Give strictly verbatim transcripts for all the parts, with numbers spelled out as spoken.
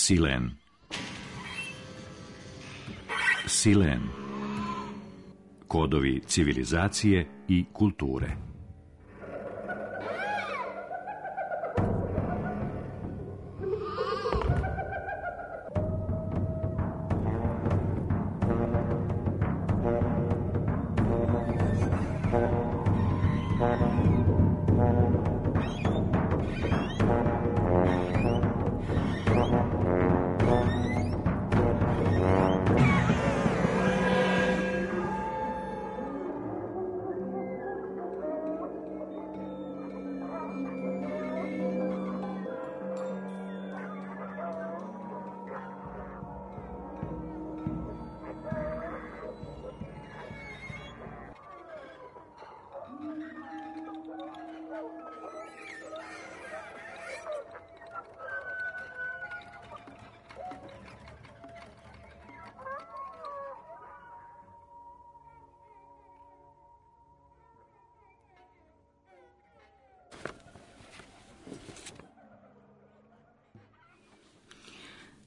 Silen. Silen. Kodovi civilizacije i kulture.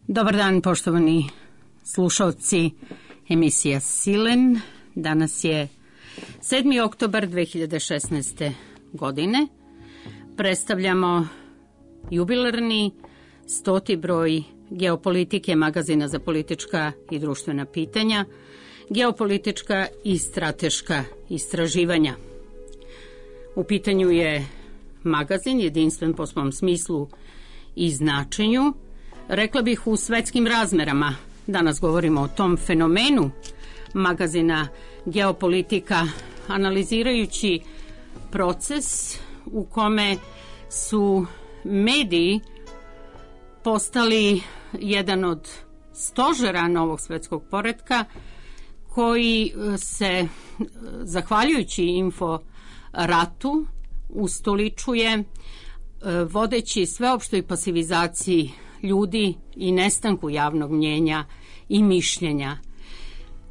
Dobar dan, poštovani slušalci emisija Silen. Danas je sedmi oktobar dve hiljade šesnaeste. godine. Predstavljamo jubilarni stoti broj Geopolitike, magazina za politička i društvena pitanja, geopolitička i strateška istraživanja. U pitanju je magazin jedinstven po svom smislu i značenju, rekla bih u svetskim razmerama. Danas govorimo o tom fenomenu magazina Geopolitika, analizirajući proces u kome su mediji postali jedan od stožera novog svetskog poretka koji se, zahvaljujući info ratu, ustoličuje vodeći sveopštoj pasivizaciji ljudi i nestanku javnog mnjenja i mišljenja.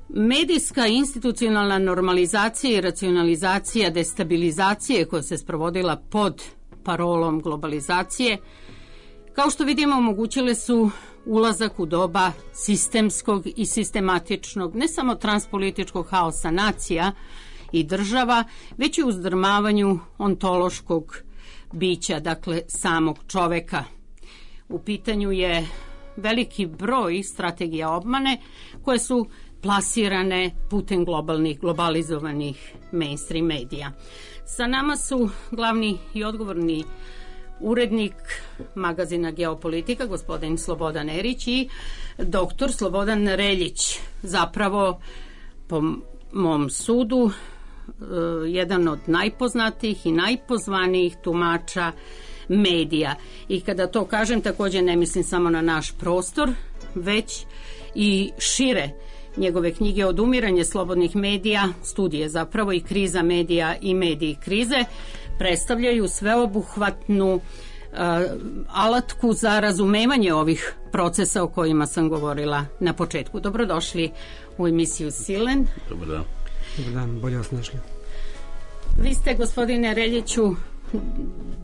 Medijska institucionalna normalizacija i racionalizacija destabilizacije koja se sprovodila pod parolom globalizacije, kao što vidimo, omogućile su ulazak u doba sistemskog i sistematičnog, ne samo transpolitičkog haosa nacija i država, već i uzdrmavanju ontološkog bića, dakle samog čoveka. U pitanju je veliki broj strategija obmane koje su plasirane putem globalnih, globalizovanih mainstream medija. Sa nama su glavni i odgovorni urednik magazina Geopolitika, gospodin Slobodan Erić, i doktor Slobodan Reljić, zapravo po mom sudu jedan od najpoznatijih i najpozvanijih tumača medija. I kada to kažem, također ne mislim samo na naš prostor, već i šire. Njegove knjige Odumiranje slobodnih medija, studije zapravo i kriza medija i mediji krize, predstavljaju sveobuhvatnu uh, alatku za razumevanje ovih procesa o kojima sam govorila na početku. Dobrodošli u emisiju Silen. Dobar dan. Dobar dan, bolje vas našli. Vi ste, gospodine Reljiću,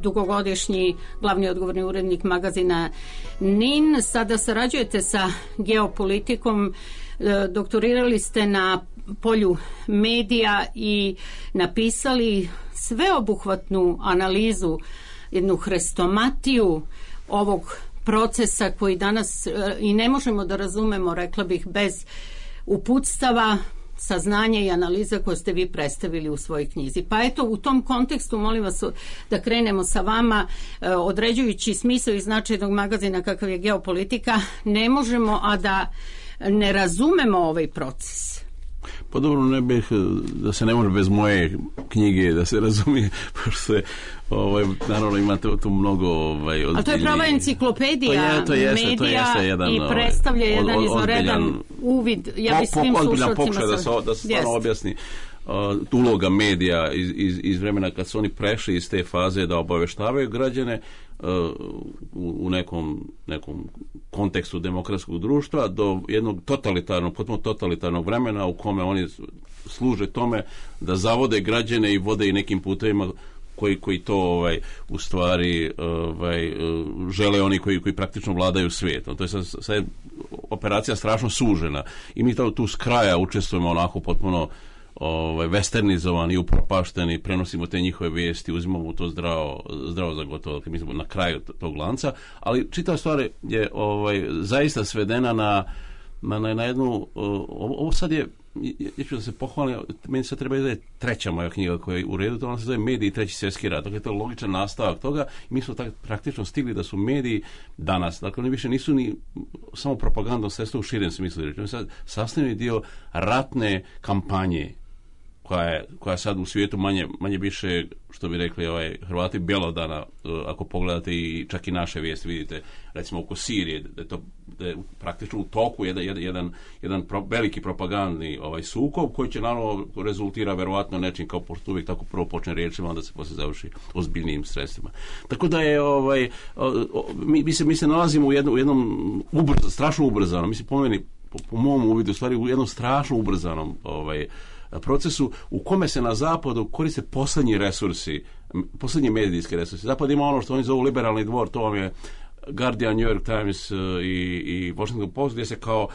dugogodišnji glavni odgovorni urednik magazina N I N. Sada sarađujete sa Geopolitikom, doktorirali ste na polju medija i napisali sveobuhvatnu analizu, jednu hrestomatiju ovog procesa koji danas i ne možemo da razumemo, rekla bih, bez uputstava, saznanja i analiza koje ste vi predstavili u svojoj knjizi. Pa eto, u tom kontekstu molim vas da krenemo sa vama, određujući smisao i značaj jednog magazina kakav je Geopolitika, ne možemo a da ne razumemo ovaj proces. Pa dobro, ne bih, da se ne može bez moje knjige da se razumije, pošto je, ovaj, naravno imate tu mnogo ovaj, a to je prava enciklopedija to je, to jeste, medija to jeste jedan, i predstavlja ovaj, jedan od, izvanredan uvid. Ja bih svim slušalcima da se, da se stvarno objasni uh, uloga medija iz, iz, iz vremena kad su oni prešli iz te faze da obaveštavaju građane uh, u, u nekom, nekom kontekstu demokratskog društva do jednog totalitarnog, potpuno totalitarnog vremena u kome oni služe tome da zavode građane i vode i nekim putevima koji, koji to ovaj, u stvari ovaj, žele oni koji, koji praktično vladaju svijetom. To je sad, sad je operacija strašno sužena i mi to tu s kraja učestvujemo onako potpuno ovaj, westernizovani, upropašteni, prenosimo te njihove vijesti, uzimamo to zdravo, zdravo za gotovo, mi smo na kraju tog lanca, ali čitava stvar je ovaj, zaista svedena na, na, na jednu, ovo, ovo sad je, ja ću da se pohvalim, meni sad treba da je treća moja knjiga koja je u redu, to ona se zove Mediji i treći svjetski rat. Dakle, to je logičan nastavak toga i mi smo tak, praktično stigli da su mediji danas, dakle, oni više nisu ni samo propagandno sredstvo u širem smislu, oni sad sastavljeni dio ratne kampanje koja je, koja sad u svijetu manje, manje više, što bi rekli ovaj, Hrvati bjelodana, ako pogledate i čak i naše vijesti, vidite, recimo oko Sirije, da je to da je praktično u toku jedan, jedan, jedan pro, veliki propagandni ovaj, sukob koji će naravno rezultira verovatno nečim kao pošto uvijek tako prvo počne riječima, onda se poslije završi ozbiljnijim sredstvima. Tako da je ovaj, mi, mi, se, mi se nalazimo u jednom, u jednom ubrz, strašno ubrzanom, mislim po meni, po, po mom uvidu, u stvari u jednom strašno ubrzanom ovaj, procesu u kome se na zapadu koriste posljednji resursi, posljednji medijski resursi. Zapad ima ono što oni zovu liberalni dvor, to vam je Guardian, New York Times i, i Washington Post, gdje se kao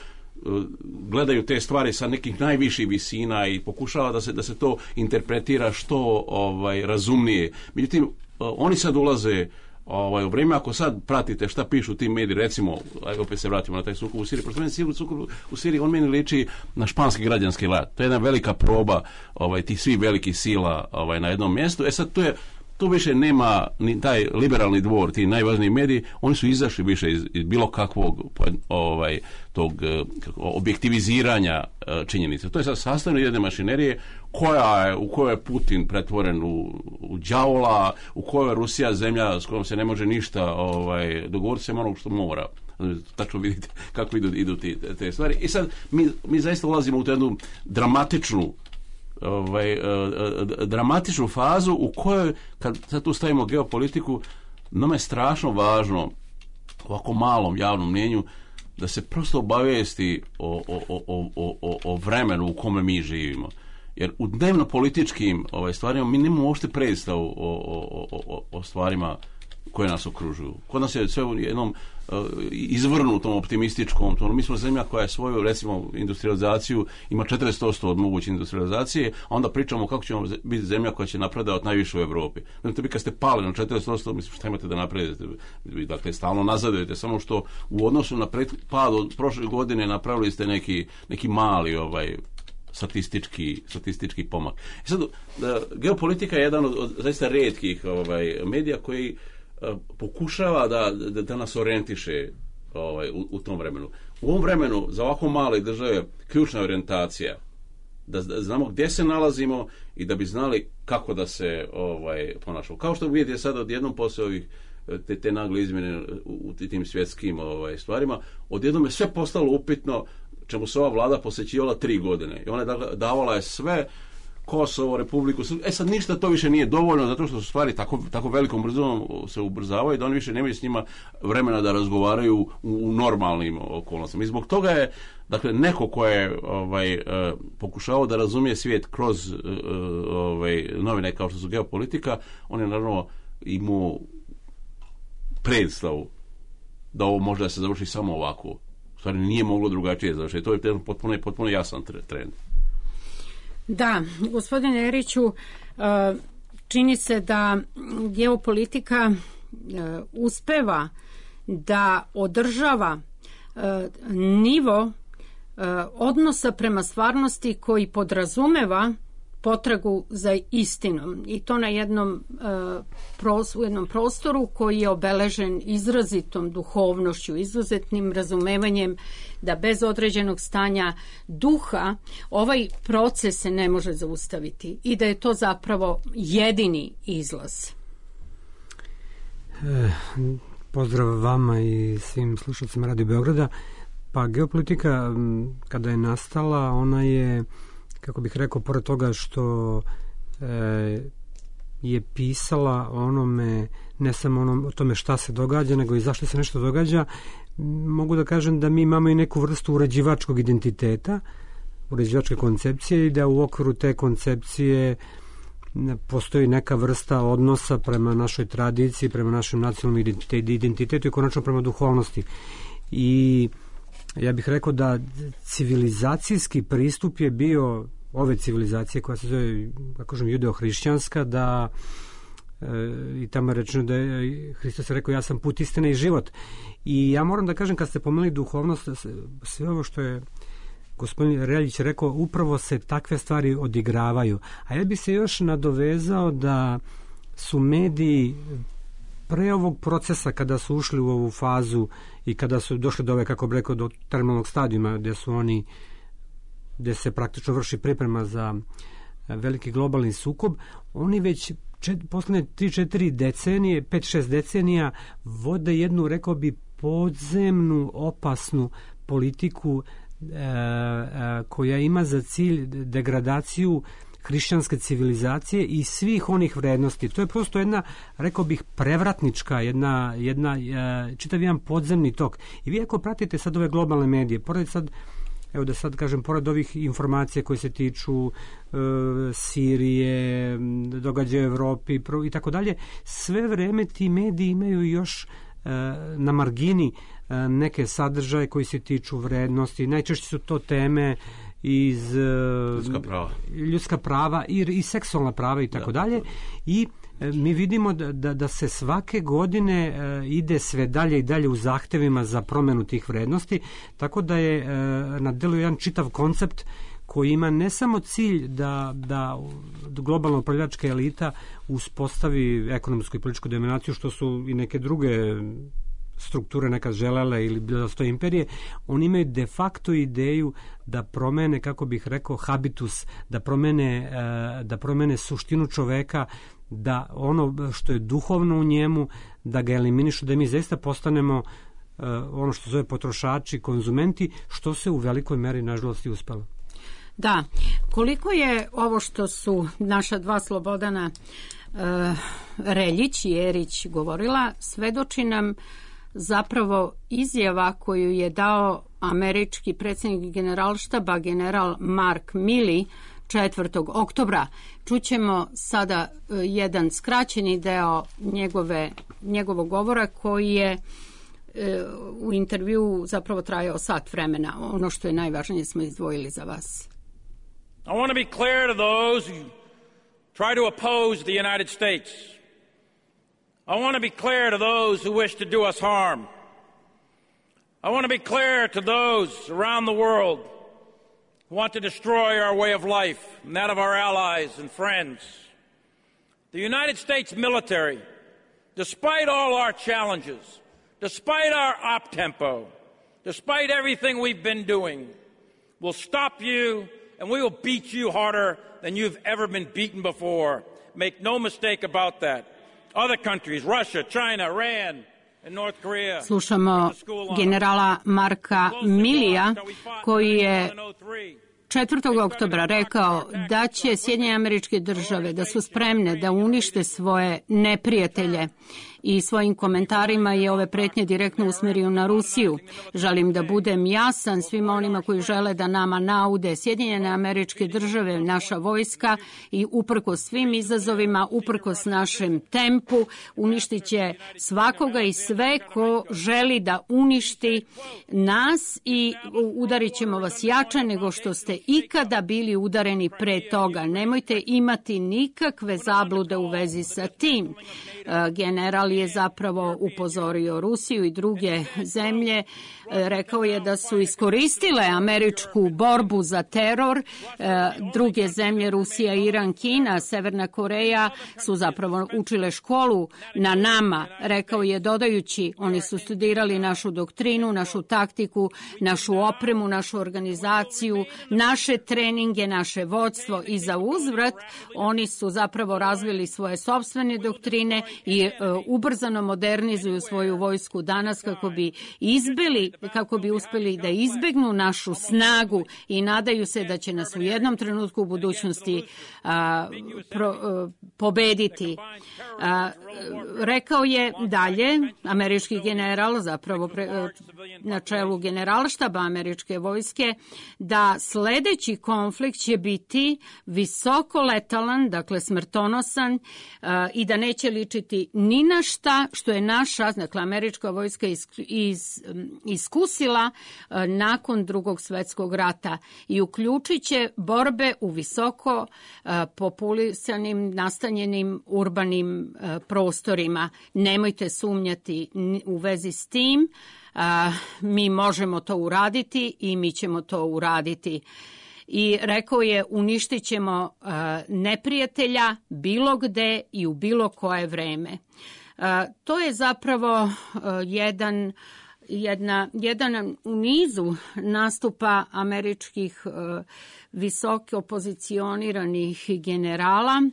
gledaju te stvari sa nekih najviših visina i pokušava da se, da se to interpretira što ovaj, razumnije. Međutim, oni sad ulaze Ovaj, u vrijeme, ako sad pratite šta pišu ti mediji, recimo, ajde opet se vratimo na taj sukob u Siriji, prosto meni sukob u Siriji, on meni liči na španski građanski rat. To je jedna velika proba ovaj, tih svih velikih sila ovaj, na jednom mjestu. E sad, to je tu više nema ni taj liberalni dvor, ti najvažniji mediji, oni su izašli više iz, iz bilo kakvog ovaj, tog kako, objektiviziranja činjenica. To je sad sastavljeno jedne mašinerije koja je, u kojoj je Putin pretvoren u, u đavola, u kojoj je Rusija zemlja s kojom se ne može ništa ovaj, dogovoriti se onog što mora. Tačno vidite kako idu, idu ti, te stvari. I sad mi, mi zaista ulazimo u tu jednu dramatičnu Ovaj, uh, dramatičnu fazu u kojoj, kad sad tu stavimo geopolitiku, nama je strašno važno ovako malom javnom mnjenju da se prosto obavijesti o, o, o, o, o, o vremenu u kome mi živimo. Jer u dnevno političkim ovaj, stvarima mi nemamo uopšte predstavu o, o, o, o stvarima koje nas okružuju. Kod nas je sve u jednom uh, izvrnutom optimističkom tonu. Mi smo zemlja koja je svoju, recimo, industrializaciju ima četrdeset posto od moguće industrializacije, a onda pričamo kako ćemo biti zemlja koja će napredovati najviše u Evropi. Znači, vi kad ste pali na četrdeset posto, mislim, šta imate da napredujete? Dakle, stalno nazadujete, samo što u odnosu na pred, pad od prošle godine napravili ste neki, neki mali ovaj, statistički, statistički pomak. I sad, da, geopolitika je jedan od, od zaista rijetkih ovaj, medija koji pokušava da, da, da nas orijentiše ovaj, u, u tom vremenu. U ovom vremenu za ovako male države ključna orijentacija da, da znamo gdje se nalazimo i da bi znali kako da se ovaj, ponašamo. Kao što vidite sad odjednom poslije ovih te, te nagle izmjene u, u tim svjetskim ovaj, stvarima, odjednom je sve postalo upitno čemu se ova vlada posvećivala tri godine. I ona je davala je sve Kosovo, Republiku, e sad ništa to više nije dovoljno zato što su stvari tako, tako velikom brzinom se ubrzavaju da oni više nemaju s njima vremena da razgovaraju u, u normalnim okolnostima. I zbog toga je, dakle, neko ko je ovaj, uh, pokušao da razumije svijet kroz uh, ovaj, novine kao što su geopolitika, on je naravno imao predstavu da ovo može da se završi samo ovako. U stvari nije moglo drugačije završiti. To je potpuno, potpuno jasan trend. Da, gospodine Eriću, čini se da geopolitika uspeva da održava nivo odnosa prema stvarnosti koji podrazumeva potragu za istinom i to na jednom, u jednom prostoru koji je obeležen izrazitom duhovnošću, izuzetnim razumevanjem da bez određenog stanja duha ovaj proces se ne može zaustaviti i da je to zapravo jedini izlaz. E, pozdrav vama i svim slušalcima Radio Beograda. Pa geopolitika kada je nastala, ona je, kako bih rekao, pored toga što e, je pisala onome, ne samo onom, o tome šta se događa, nego i zašto se nešto događa, mogu da kažem da mi imamo i neku vrstu uređivačkog identiteta, uređivačke koncepcije i da u okviru te koncepcije postoji neka vrsta odnosa prema našoj tradiciji, prema našem nacionalnom identitetu i konačno prema duhovnosti. I ja bih rekao da civilizacijski pristup je bio ove civilizacije koja se zove, kako kažem, judeo-hrišćanska, da e, i tamo je rečeno da je Hristos rekao ja sam put, istina i život. I ja moram da kažem, kad ste pomenuli duhovnost, sve ovo što je gospodin Reljić rekao, upravo se takve stvari odigravaju. A ja bih se još nadovezao da su mediji pre ovog procesa, kada su ušli u ovu fazu i kada su došli do ove, kako bih rekao, do terminalnog stadijuma gde su oni, gde se praktično vrši priprema za veliki globalni sukob, oni već čet, poslednje tri četiri decenije, pet šest decenija vode jednu, rekao bi, podzemnu, opasnu politiku e, e, koja ima za cilj degradaciju hrišćanske civilizacije i svih onih vrednosti. To je prosto jedna, rekao bih, prevratnička, jedna, jedna e, čitav jedan podzemni tok. I vi ako pratite sad ove globalne medije, pored sad, evo da sad kažem, pored ovih informacija koje se tiču e, Sirije, događaja u Evropi i tako dalje, sve vreme ti mediji imaju još e, na margini e, neke sadržaje koji se tiču vrednosti. Najčešće su to teme iz ljudska prava, ljudska prava i, i seksualna prava i tako dalje. I e, mi vidimo da, da, da se svake godine e, ide sve dalje i dalje u zahtevima za promenu tih vrednosti, tako da je e, na delu jedan čitav koncept koji ima ne samo cilj da, da globalna upravljačka elita uspostavi ekonomsku i političku dominaciju, što su i neke druge strukture nekad želele ili bilo sto imperije, oni imaju de facto ideju da promene, kako bih rekao, habitus, da promene, da promene suštinu čoveka, da ono što je duhovno u njemu, da ga eliminišu, da mi zaista postanemo ono što zove potrošači, konzumenti, što se u velikoj meri nažalost i uspelo. Da, koliko je ovo što su naša dva Slobodana uh, Reljić i Erić govorila, svedoči nam zapravo izjava koju je dao američki predsjednik Generalštaba, general Mark Milley, četvrtog oktobra. Čućemo sada uh, jedan skraćeni deo njegove, njegovog govora koji je uh, u intervju zapravo trajao sat vremena. Ono što je najvažnije smo izdvojili za vas. I want to be clear to those who try to oppose the United States. I want to be clear to those who wish to do us harm. I want to be clear to those around the world who want to destroy our way of life and that of our allies and friends. The United States military, despite all our challenges, despite our op-tempo, despite everything we've been doing, will stop you and we will beat you harder than you've ever been beaten before. Make no mistake about that. Other countries, Russia, China, Iran, and North Korea. Slušamo generala Marka Millija koji je četvrtog oktobra rekao da će Sjedinjene Američke Države da su spremne da unište svoje neprijatelje i svojim komentarima je ove pretnje direktno usmerio na Rusiju. Želim da budem jasan svima onima koji žele da nama naude. Sjedinjene Američke Države, naša vojska i uprkos svim izazovima, uprkos našem tempu, uništit će svakoga i sve ko želi da uništi nas i udarit ćemo vas jače nego što ste ikada bili udareni pre toga. Nemojte imati nikakve zablude u vezi sa tim. General je zapravo upozorio Rusiju i druge zemlje. Rekao je da su iskoristile američku borbu za teror. Druge zemlje, Rusija, Iran, Kina, Severna Koreja su zapravo učile školu na nama. Rekao je dodajući, oni su studirali našu doktrinu, našu taktiku, našu opremu, našu organizaciju, naše treninge, naše vodstvo i za uzvrat oni su zapravo razvili svoje sopstvene doktrine i e, ubrzano modernizuju svoju vojsku danas kako bi izbili, kako bi uspeli da izbegnu našu snagu i nadaju se da će nas u jednom trenutku u budućnosti a, pro, a, pobediti. A, rekao je dalje, američki general, zapravo pre, na čelu generalštaba američke vojske, da sled sledeći konflikt će biti visoko letalan, dakle smrtonosan uh, i da neće ličiti ni na šta što je naša, dakle američka vojska iz, iz, iskusila uh, nakon drugog svetskog rata i uključit će borbe u visoko uh, populisanim, nastanjenim urbanim uh, prostorima. Nemojte sumnjati u vezi s tim. Uh, mi možemo to uraditi i mi ćemo to uraditi. I rekao je, uništit ćemo uh, neprijatelja bilo gde i u bilo koje vreme. Uh, to je zapravo uh, jedan, jedna, jedan u nizu nastupa američkih uh, visoko pozicioniranih generala.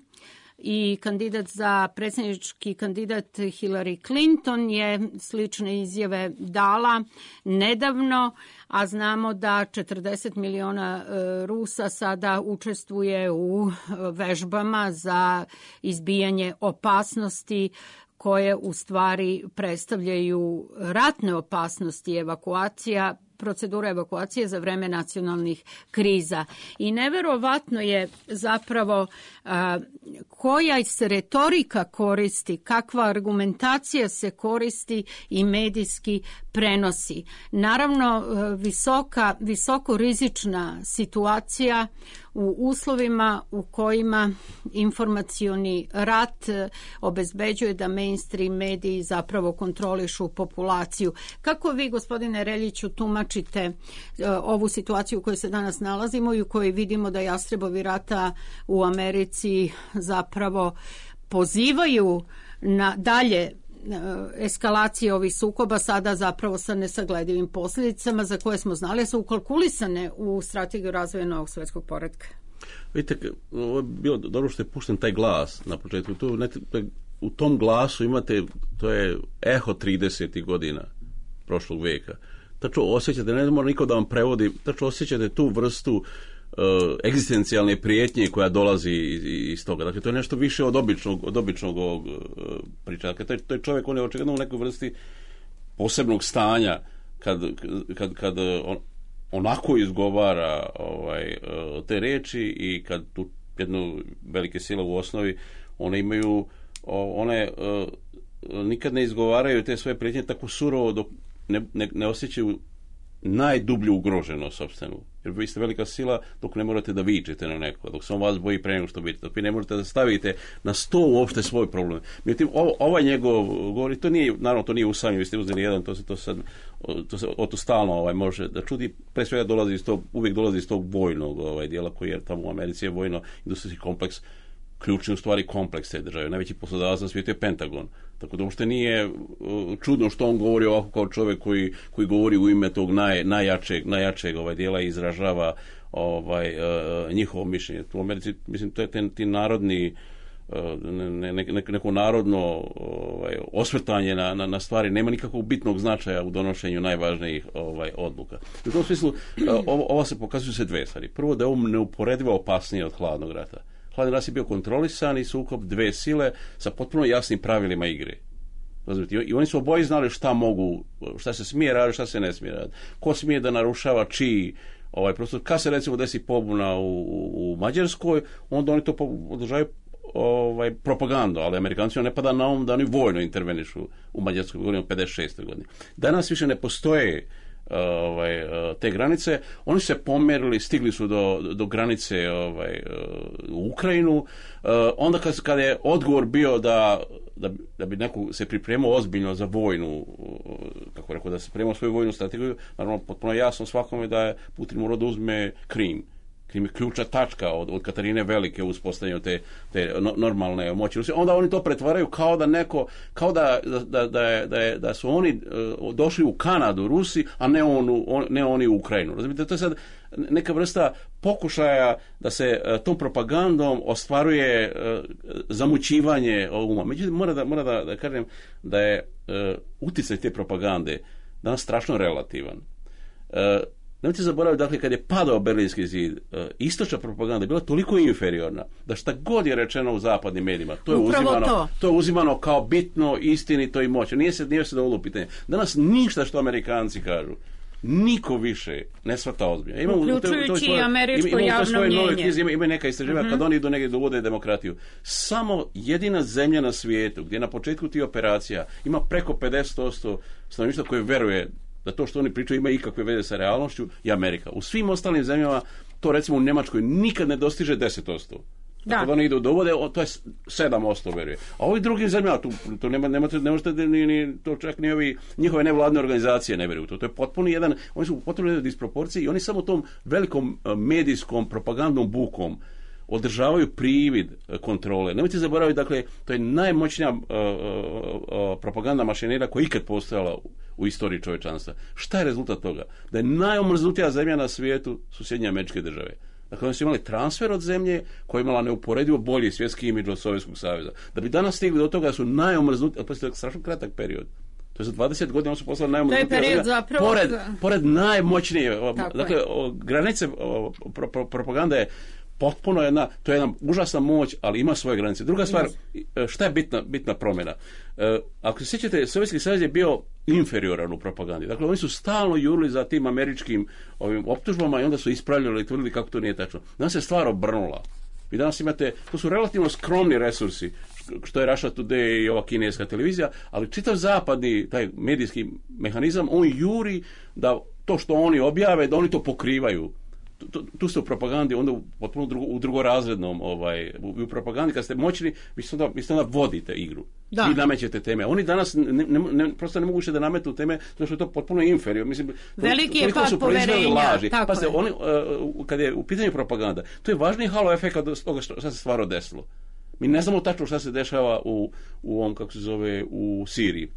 I kandidat za predsjednički kandidat Hillary Clinton je slične izjave dala nedavno, a znamo da četrdeset miliona Rusa sada učestvuje u vežbama za izbijanje opasnosti koje u stvari predstavljaju ratne opasnosti, evakuacija, procedura evakuacije za vreme nacionalnih kriza. I neverovatno je zapravo a, koja se retorika koristi, kakva argumentacija se koristi i medijski prenosi. Naravno, visoka, visoko rizična situacija u uslovima u kojima informacioni rat obezbeđuje da mainstream mediji zapravo kontrolišu populaciju. Kako vi, gospodine Reljiću, tumačite ovu situaciju u kojoj se danas nalazimo i u kojoj vidimo da jastrebovi rata u Americi zapravo pozivaju na dalje eskalacije ovih sukoba, sada zapravo sa nesagledivim posljedicama za koje smo znali su ukalkulisane u strategiju razvoja novog svjetskog poretka? Vidite, ovo je bilo dobro što je pušten taj glas na početku. Tu, ne, u tom glasu imate, to je eho tridesetih godina prošlog veka. Tačno osjećate, ne mora niko da vam prevodi, tačno osjećate tu vrstu Uh, egzistencijalne prijetnje koja dolazi iz, iz toga. Dakle, to je nešto više od običnog, od običnog ovog uh, priča. Dakle, to je, to je čovjek, on je očigledno u nekoj vrsti posebnog stanja kad, kad, kad on, onako izgovara ovaj, uh, te reči i kad tu jednu velike sile u osnovi, one imaju, uh, one uh, nikad ne izgovaraju te svoje prijetnje tako surovo dok ne, ne, ne osjećaju najdublju ugroženost sopstvenu. Jer vi ste velika sila dok ne morate da vičete na neko, dok se on vas boji pre nego što vidite, dok vi ne možete da stavite na sto uopšte svoj problem. Međutim, ovo, ovaj njegov govori, to nije, naravno to nije usamljivo, vi ste uzeli jedan, to se to sad, to se o to stalno ovaj, može da čudi, pre svega dolazi iz tog, uvijek dolazi iz tog vojnog ovaj, dijela koji je tamo u Americi je vojno industrijski kompleks, ključni u stvari kompleks te države. Najveći poslodavac na svijetu je Pentagon. Tako da uopšte nije čudno što on govori ovako kao čovjek koji, koji govori u ime tog naj, najjačeg, najjačeg ovaj dijela i izražava ovaj, uh, njihovo mišljenje. U Americi, mislim, to je ten, ti narodni uh, ne, ne, ne, neko narodno ovaj, osvrtanje na, na, na stvari nema nikakvog bitnog značaja u donošenju najvažnijih ovaj, odluka. U tom smislu uh, ovo, ovo se pokazuju se dve stvari. Prvo da je ovo neuporedivo opasnije od hladnog rata. Hladni rat je bio kontrolisan i sukob dve sile sa potpuno jasnim pravilima igre. Razumite? I oni su oboji znali šta mogu, šta se smije raditi, šta se ne smije raditi. Ko smije da narušava čiji ovaj prostor. Kad se recimo desi pobuna u, u, u Mađarskoj, onda oni to održavaju ovaj, propagandu, ali Amerikancima ne pada na um da oni vojno intervenišu u Mađarskoj, govorimo o pedeset šestoj godini. Danas više ne postoje Ovaj, te granice, oni se pomerili, stigli su do, do granice ovaj, u Ukrajinu, onda kad, kad je odgovor bio da, da, da bi neko se pripremao ozbiljno za vojnu, kako rekao, da se pripremao svoju vojnu strategiju, naravno potpuno jasno svakome da je Putin morao da uzme Krim. Krim je ključna tačka od, od Katarine Velike u uspostavljanju te, te no, normalne moći Rusije. Onda oni to pretvaraju kao da neko, kao da, da, da, je, da, je, da su oni uh, došli u Kanadu, Rusi, a ne, onu, on, ne oni u Ukrajinu. Razumite, to je sad neka vrsta pokušaja da se uh, tom propagandom ostvaruje uh, zamućivanje uma. Međutim, mora da, mora da, da kažem da je uh, uticaj te propagande danas strašno relativan. Uh, Nemojte zaboraviti, dakle, kad je padao Berlinski zid, istočna propaganda je bila toliko inferiorna da šta god je rečeno u zapadnim medijima, to je, uzimano, to. to je uzimano kao bitno, istinito i moćno. Nije se, nije se dovoljno pitanje. Danas ništa što Amerikanci kažu niko više ne shvata ozbiljno. Imamo, uključujući to, to svoje, i američko ima, javno svoje mnjenje. Nove knjize, ima, ima neka istraživanja, uh-huh. kad oni idu negdje dovode demokratiju. Samo jedina zemlja na svijetu gdje na početku tih operacija ima preko pedeset posto stanovništva koje veruje da to što oni pričaju ima ikakve veze sa realnošću i Amerika. U svim ostalim zemljama, to recimo u Njemačkoj nikad ne dostiže deset posto. Da. Kad oni idu dovode, to je sedam posto veruje. A ovi drugim zemljama, tu, to nema, nema, ne možete ni, ni, to čak ni ovi njihove nevladne organizacije ne vjeruju. To, to je potpuno jedan, oni su u potpuno jednoj disproporciji i oni samo tom velikom medijskom propagandnom bukom održavaju privid kontrole. Nemojte zaboraviti, dakle, to je najmoćnija uh, uh, propagandna mašinera koja je ikad postojala u, u istoriji čovječanstva. Šta je rezultat toga? Da je najomrznutija zemlja na svijetu su Sjedinjene Američke Države. Dakle, oni su imali transfer od zemlje koja je imala neuporedivo bolji svjetski imidž od Sovjetskog saveza. Da bi danas stigli do toga su najomrznutiji, ali to je strašno kratak period. To je za dvadeset godina oni su poslali najomrznutija zemlja. Zapravo... Pored, pored najmoćnije, dakle, o, granice o, pro, pro, propaganda je potpuno jedna, to je jedna užasna moć, ali ima svoje granice. Druga stvar, šta je bitna, bitna promjena? E, ako se sjećate, Sovjetski savez je bio inferioran u propagandi. Dakle, oni su stalno jurili za tim američkim ovim optužbama i onda su ispravljali i tvrdili kako to nije tačno. Danas se stvar obrnula. Vi danas imate, to su relativno skromni resursi, što je Russia Today i ova kineska televizija, ali čitav zapadni, taj medijski mehanizam, on juri da to što oni objave, da oni to pokrivaju. Tu, tu ste u propagandi, onda u, potpuno drugo, u drugorazrednom, ovaj, u, u propagandi, kad ste moćni, vi ste onda, vi ste onda vodite igru. Da. Vi namećete teme. Oni danas ne, ne, ne, prosto ne mogu više da nametu teme, zato što je to potpuno inferior. Mislim, veliki je pad poverenja. Pazite, oni, uh, kad je u pitanju propaganda, to je važniji halo efekt od toga što, što se stvarno desilo. Mi ne znamo tačno šta se dešava u, u ovom, kako se zove, u Siriji.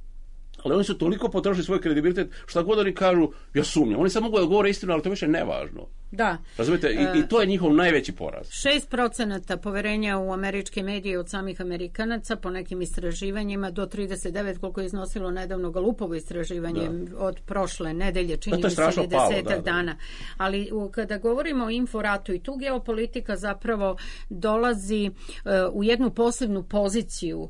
Ali oni su toliko potrošili svoj kredibilitet, šta god oni kažu, ja sumnjam. Oni sad mogu da govore istinu, ali to više nevažno. Da. Razumijete? I, i to je njihov najveći poraz. šest procenata poverenja u američke medije od samih Amerikanaca po nekim istraživanjima do trideset devet koliko je iznosilo nedavno Galupovo istraživanje da. Od prošle nedelje, čini mi se desetak dana. Ali u, kada govorimo o inforatu i tu geopolitika zapravo dolazi uh, u jednu posebnu poziciju. Uh,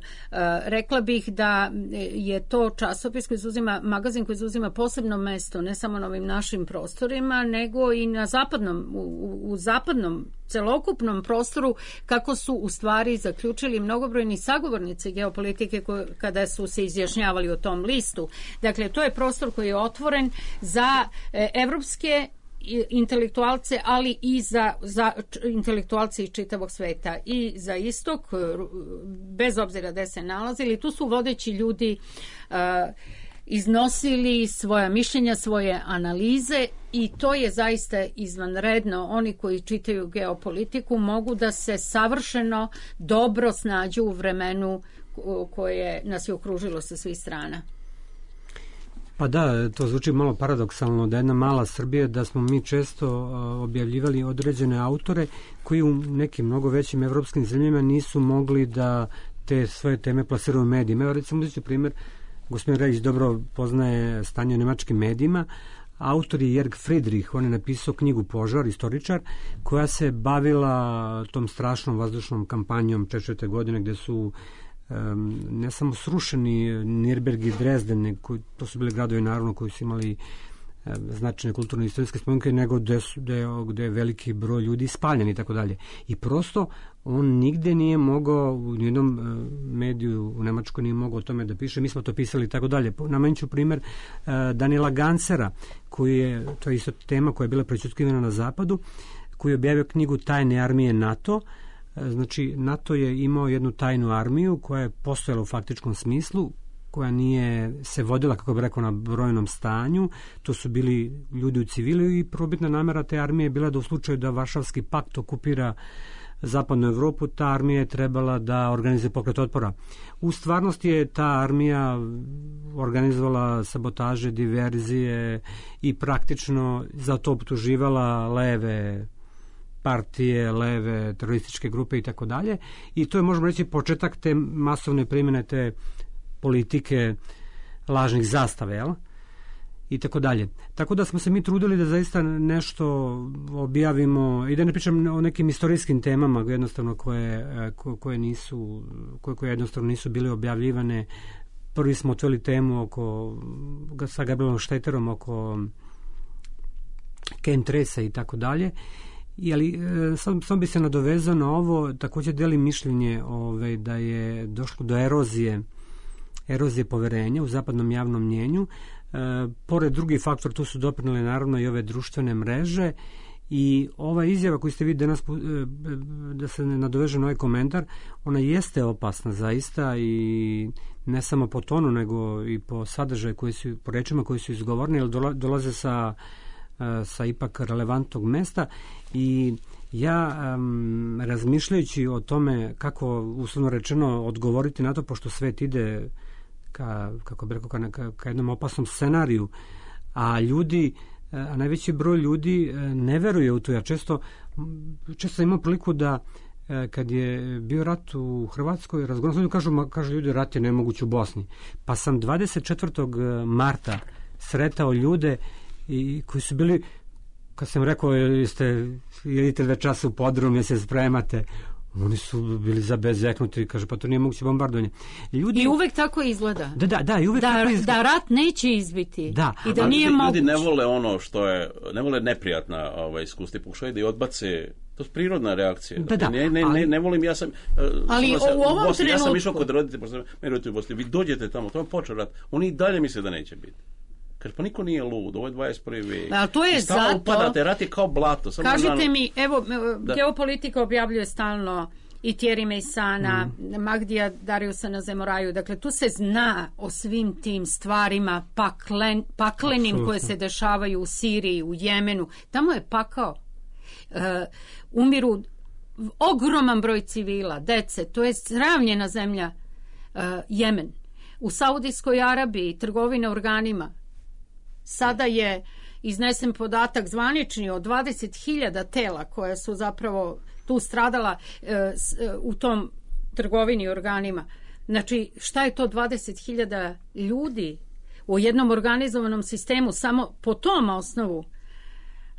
rekla bih da je to časopis koji uzima, magazin koji uzima posebno mesto ne samo na ovim našim prostorima, nego i na zapadnom, u, u zapadnom celokupnom prostoru, kako su u stvari zaključili mnogobrojni sagovornici geopolitike koje, kada su se izjašnjavali o tom listu. Dakle, to je prostor koji je otvoren za e, evropske intelektualce, ali i za, za intelektualce iz čitavog sveta i za istok, bez obzira gde se nalazili. Tu su vodeći ljudi uh, iznosili svoja mišljenja, svoje analize i to je zaista izvanredno. Oni koji čitaju geopolitiku mogu da se savršeno dobro snađu u vremenu koje nas je okružilo sa svih strana. Pa da, to zvuči malo paradoksalno da jedna mala Srbija, da smo mi često objavljivali određene autore koji u nekim mnogo većim evropskim zemljama nisu mogli da te svoje teme plasiraju u medijima. Evo recimo uzeti primjer, gospodin Rejić dobro poznaje stanje u nemačkim medijima. Autor je Jörg Friedrich, on je napisao knjigu Požar, istoričar, koja se bavila tom strašnom vazdušnom kampanjom četrdeset godine gde su Um, ne samo srušeni Nürnberg i Dresden, koji, to su bili gradovi naravno koji su imali um, značajne kulturne i istorijske spomenke, nego gde, su, gde, gde je veliki broj ljudi spaljen i tako dalje. I prosto on nigde nije mogao, u nijednom uh, mediju u Nemačkoj nije mogao o tome da piše, mi smo to pisali i tako dalje. Namenću primjer uh, Daniela Gansera, koji je, to je isto tema koja je bila prećutkivana na zapadu, koji je objavio knjigu Tajne armije NATO. Znači, NATO je imao jednu tajnu armiju koja je postojala u faktičkom smislu, koja nije se vodila, kako bih rekao, na brojnom stanju. To su bili ljudi u civilu i probitna namera te armije je bila da u slučaju da Varšavski pakt okupira zapadnu Evropu, ta armija je trebala da organizuje pokret otpora. U stvarnosti je ta armija organizovala sabotaže, diverzije i praktično za to optuživala leve partije, leve, terorističke grupe i tako dalje. I to je, možemo reći, početak te masovne primjene te politike lažnih zastave, jel? I tako dalje. Tako da smo se mi trudili da zaista nešto objavimo i da ne pričam o nekim istorijskim temama jednostavno koje, koje nisu koje, koje jednostavno nisu bile objavljivane. Prvi smo otvorili temu oko sa Gabrielom Šteterom oko chemtrailsa i tako dalje. I, ali sam, sam bi se nadovezao na ovo, također delim mišljenje ovaj, da je došlo do erozije erozije poverenja u zapadnom javnom mnjenju. E, pored drugih faktora, tu su doprinele naravno i ove društvene mreže i ova izjava koju ste vi danas, da se nadoveže na ovaj komentar, ona jeste opasna zaista i ne samo po tonu, nego i po sadržaju koji su, po rečima koji su izgovorni, jer dolaze sa, sa ipak relevantnog mesta i ja um, razmišljajući o tome kako uslovno rečeno odgovoriti na to, pošto svet ide ka, kako bi rekao, ka, ka, ka jednom opasnom scenariju, a ljudi, a najveći broj ljudi ne veruje u to. Ja često, često imam priliku da kad je bio rat u Hrvatskoj, razgovaram, kažu, kažu ljudi, rat je nemoguć u Bosni. Pa sam dvadeset četvrtog marta sretao ljude i koji su bili, kad sam rekao, jeste, jedite dve časa u podrum, jer se spremate, oni su bili zabezeknuti, kaže, pa to nije moguće bombardovanje. Ljudi... I uvek tako izgleda. Da, da, da, i uvek da, tako izgleda. Da rat neće izbiti. Da. I da a, nije ljudi, moguće. Ljudi ne vole ono što je, ne vole neprijatna ovaj, iskustva, pokušaju da i odbace, to je prirodna reakcija. Da, da, ne, ne, ali, ne, ne volim, ja sam... Ali sam, u ovom Bosni, trenutku... Ja sam išao kod roditelja, pošto me roditelji u Bosni, vi dođete tamo, to je počeo rat, oni i dalje misle da neće biti. Kaže, pa niko nije lud, ovo je dvadeset prvi vijek. Ali to je zato... upadate, rat je kao blato. Samo kažite dan... mi, evo, da. Geopolitika objavljuje stalno i Thierry Meysana, mm. Magdija Dariusa na Zemoraju. Dakle, tu se zna o svim tim stvarima paklen, paklenim Absolutno. Koje se dešavaju u Siriji, u Jemenu. Tamo je pakao. Uh, umiru ogroman broj civila, dece. To je sravnjena zemlja uh, Jemen. U Saudijskoj Arabiji trgovina organima. Sada je iznesen podatak zvanični od dvadeset hiljada tela koja su zapravo tu stradala e, s, e, u tom trgovini organima. Znači, šta je to dvadeset hiljada ljudi u jednom organizovanom sistemu samo po tom osnovu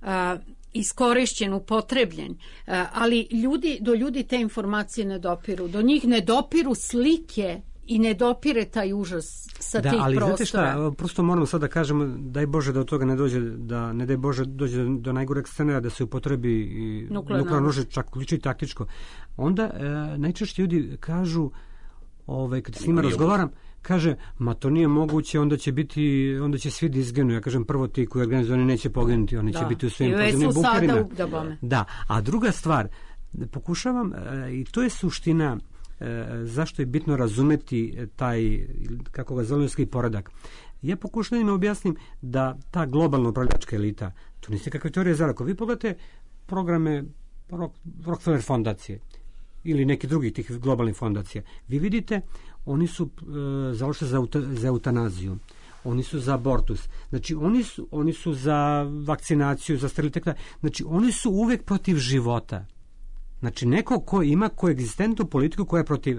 a, iskorišćen, upotrebljen. A, ali ljudi, do ljudi te informacije ne dopiru. Do njih ne dopiru slike i ne dopire taj užas sa da, tih ali prostora. Znate šta, prosto moramo sad da kažemo, daj Bože da od toga ne dođe, da ne daj Bože dođe do, do najgoreg scenarija da se upotrebi i nuklearno oružje, čak uključi i taktičko. Onda e, najčešće ljudi kažu, ovaj, kad s njima razgovaram, kaže, ma to nije moguće, onda će biti, onda će svi da izginu. Ja kažem, prvo ti koji organizuju, oni neće poginuti, oni da. će biti u svojim podzemnim bunkerima. Da, a druga stvar, pokušavam, e, i to je suština E, zašto je bitno razumeti taj, kako ga zelenovski poredak. Ja pokušam da im objasnim da ta globalna upravljačka elita, to nije kakve teorije zarako. Vi pogledate programe Rockefeller fondacije ili neki drugi tih globalnih fondacija. Vi vidite, oni su e, založeni za, za eutanaziju. Oni su za abortus. Znači, oni su, oni su za vakcinaciju, za sterilitet. Znači, oni su uvek protiv života. Znači, neko ko ima koegzistentnu politiku koja je protiv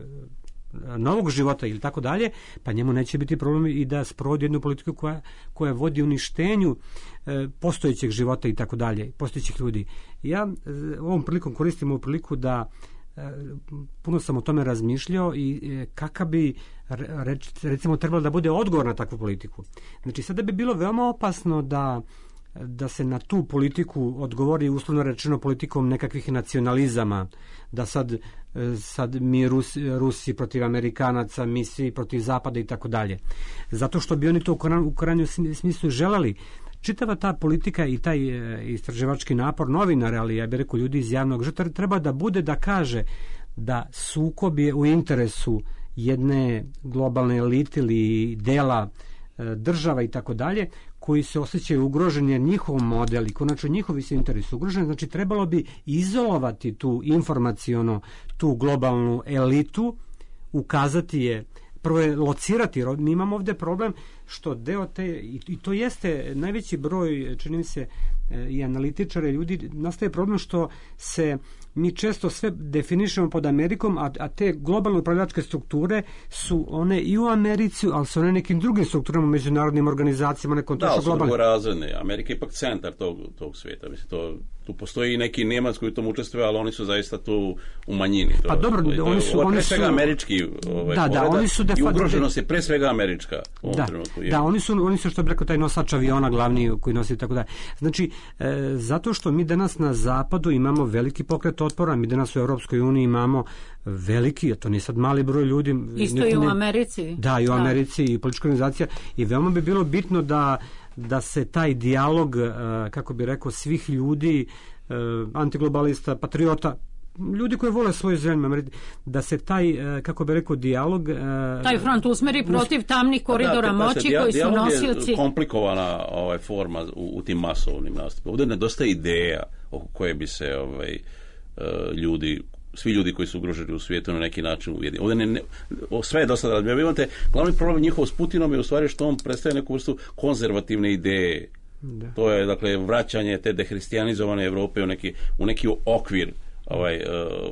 novog života ili tako dalje, pa njemu neće biti problem i da sprovodi jednu politiku koja, koja vodi uništenju e, postojećeg života i tako dalje, postojećih ljudi. Ja e, ovom prilikom koristim ovu priliku da e, puno sam o tome razmišljao i e, kakav bi reč, recimo trebalo da bude odgovor na takvu politiku. Znači, sada bi bilo veoma opasno da da se na tu politiku odgovori uslovno rečeno politikom nekakvih nacionalizama, da sad, sad mi Rusi, Rusi protiv Amerikanaca, mi svi protiv Zapada i tako dalje. Zato što bi oni to u krajnjem smislu želeli. Čitava ta politika i taj istraživački napor novinara, ali ja bih rekao ljudi iz javnog života, treba da bude da kaže da sukob je u interesu jedne globalne elite ili dela država i tako dalje, koji se osjećaju ugroženi, jer njihov model i konačno njihovi se interesi ugroženi. Znači, trebalo bi izolovati tu informaciono, tu globalnu elitu, ukazati je, prvo je locirati. Mi imamo ovde problem što deo te, i to jeste najveći broj, čini mi se, i analitičare, ljudi, nastaje problem što se mi često sve definišemo pod Amerikom, a, a te globalne upravljačke strukture su one i u Americi, ali su one nekim drugim strukturama, međunarodnim organizacijama, nekom da, to su drugorazredne. Amerika je ipak centar tog, tog svijeta. Mislim, to, tu postoji neki Nemac koji u tom učestvuje, ali oni su zaista tu u manjini. To, pa dobro, to, oni su... Ovo je oni pre svega su, američki ovaj, da, da, oni su i ugroženost je pre svega američka u ovom da, trenutku. Da, oni su, oni su što bi rekao taj nosač aviona glavni koji nosi tako da. Znači, e, zato što mi danas na zapadu imamo veliki pokret otpora, mi danas u Europskoj uniji imamo veliki, a to nije sad mali broj ljudi. Isto i u Americi. Da, i u Americi i politička organizacija i veoma bi bilo bitno da, da se taj dijalog, e, kako bi rekao, svih ljudi, e, antiglobalista, patriota, ljudi koji vole svoju zemlju, da se taj, kako bi rekao, dijalog... Taj front usmeri protiv tamnih koridora da, moći dija, koji su nosioci... Dijalog je komplikovana ovaj, forma u, u tim masovnim nastupima. Ovdje nedostaje ideja oko koje bi se ovaj, ljudi, svi ljudi koji su ugroženi u svijetu na neki način ujedinili. Ovdje ne, ne, sve je dosta da vi imate, glavni problem njihov s Putinom je u stvari što on predstavlja neku vrstu konzervativne ideje. Da. To je, dakle, vraćanje te dehristijanizovane Evrope u neki, u neki okvir ovaj uh,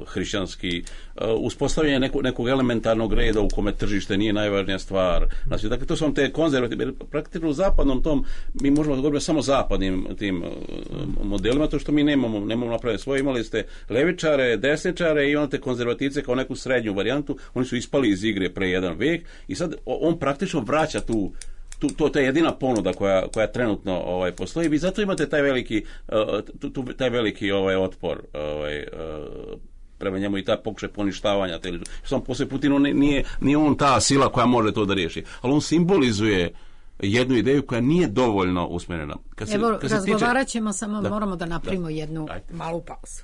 hrišćanski, uh, uspostavljanje neku, nekog elementarnog reda u kome tržište nije najvažnija stvar. Znači, dakle, to su vam te konzervativne, praktično u zapadnom tom, mi možemo da govorimo samo zapadnim tim uh, modelima, to što mi nemamo, nemamo napraviti svoje. Imali ste levičare, desničare i imate konzervativce kao neku srednju varijantu, oni su ispali iz igre pre jedan vek i sad on praktično vraća tu Tu, to, to je jedina ponuda koja, koja trenutno ovaj, postoji i zato imate taj veliki, uh, tu, tu, taj veliki ovaj, otpor ovaj, uh, prema njemu i ta pokušaj poništavanja. Sam poslije Putin nije, nije on ta sila koja može to da riješi, ali on simbolizuje jednu ideju koja nije dovoljno usmjerena. Kad se, Evo, kad razgovarat ćemo, tiče... samo da, moramo da napravimo da. jednu Ajde. malu pauzu.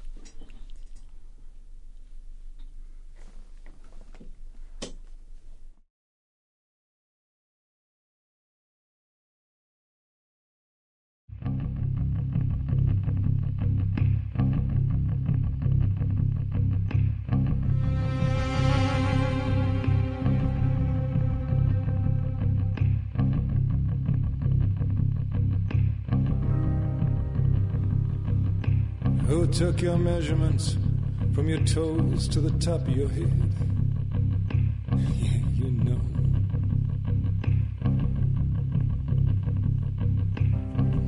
Who took your measurements from your toes to the top of your head? Yeah, you know.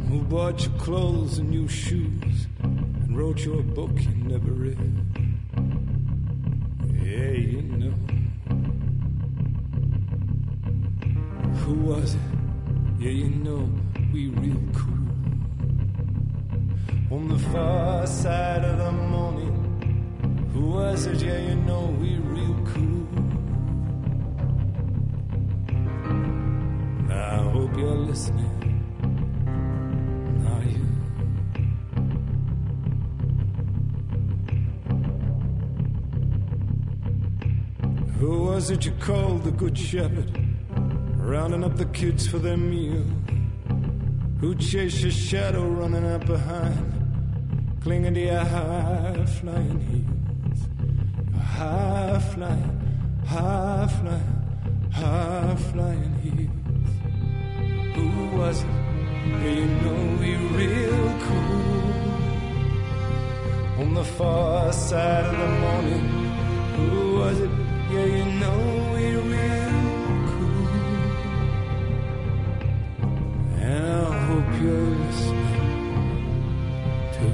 Who bought your clothes and new shoes and wrote your book you never read? Yeah, you know. Who was it? Yeah, you know, we real cool. On the far side of the morning, who was it? Yeah, you know, we real cool. I hope you're listening. Are you? Who was it you called the Good Shepherd, rounding up the kids for their meal? Who chased your shadow running up behind, clinging to your high-flying heels? Your high-flying, high-flying, high-flying heels. Who was it? Yeah, you know we're real cool. On the far side of the morning, who was it? Yeah, you know we're real cool. And I hope you're listening too.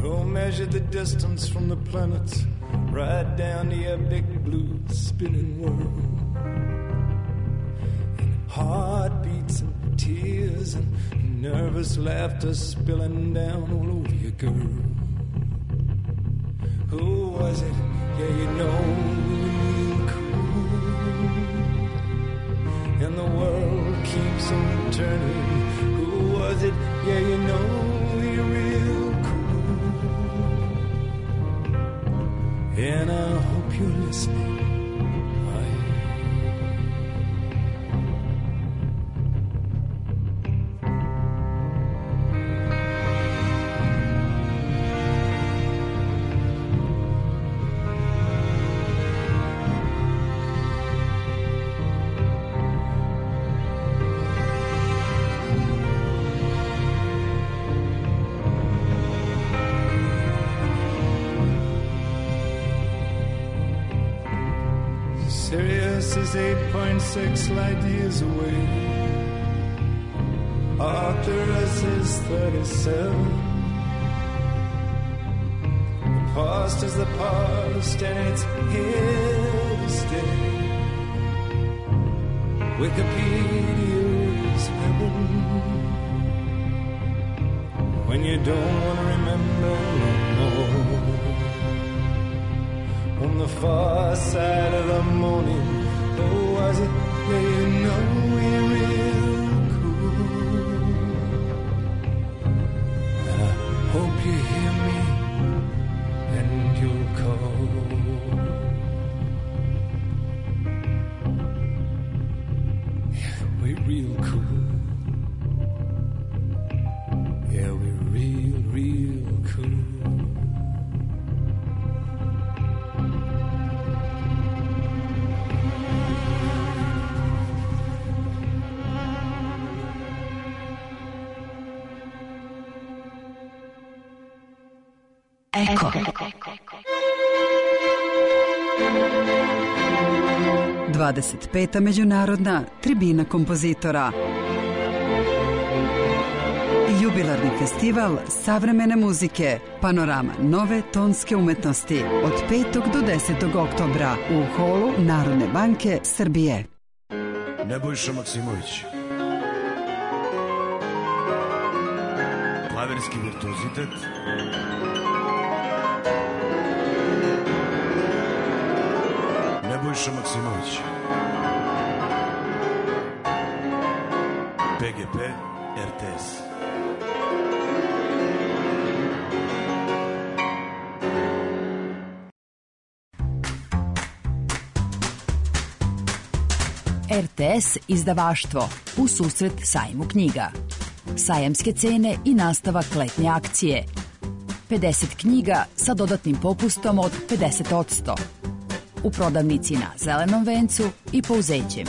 Who measured the distance from the planets right down to your big blue spinning world? Heartbeats and tears and nervous laughter spilling down all over you, girl. Who was it? Yeah, you know, real cool. And the world keeps on turning. Who was it? Yeah, you know, we're real cool. And I hope you're listening. Sirius is eight point six light years away. Arcturus is thirty-seven. The past is the past and it's here to stay. Wikipedia is heaven. When you don't want to remember no more. On the far side of the morning, oh, was it where you know we're real cool? And I hope you hear me and you'll call. Yeah, we're real cool. Yeah, we're real, real cool. Eko. dvadeset peta međunarodna tribina kompozitora. Jubilarni festival savremene muzike, panorama nove tonske umetnosti od petog do desetog oktobra u holu Narodne banke Srbije. Nebojša Maksimović. Klavirski virtuozitet. Nebojša Maksimović. P G P R T S. R T S izdavaštvo u susret sajmu knjiga. Sajamske cene i nastavak letnje akcije. pedeset knjiga sa dodatnim popustom od pedeset posto. U prodavnici na Zelenom vencu i Pouzećem.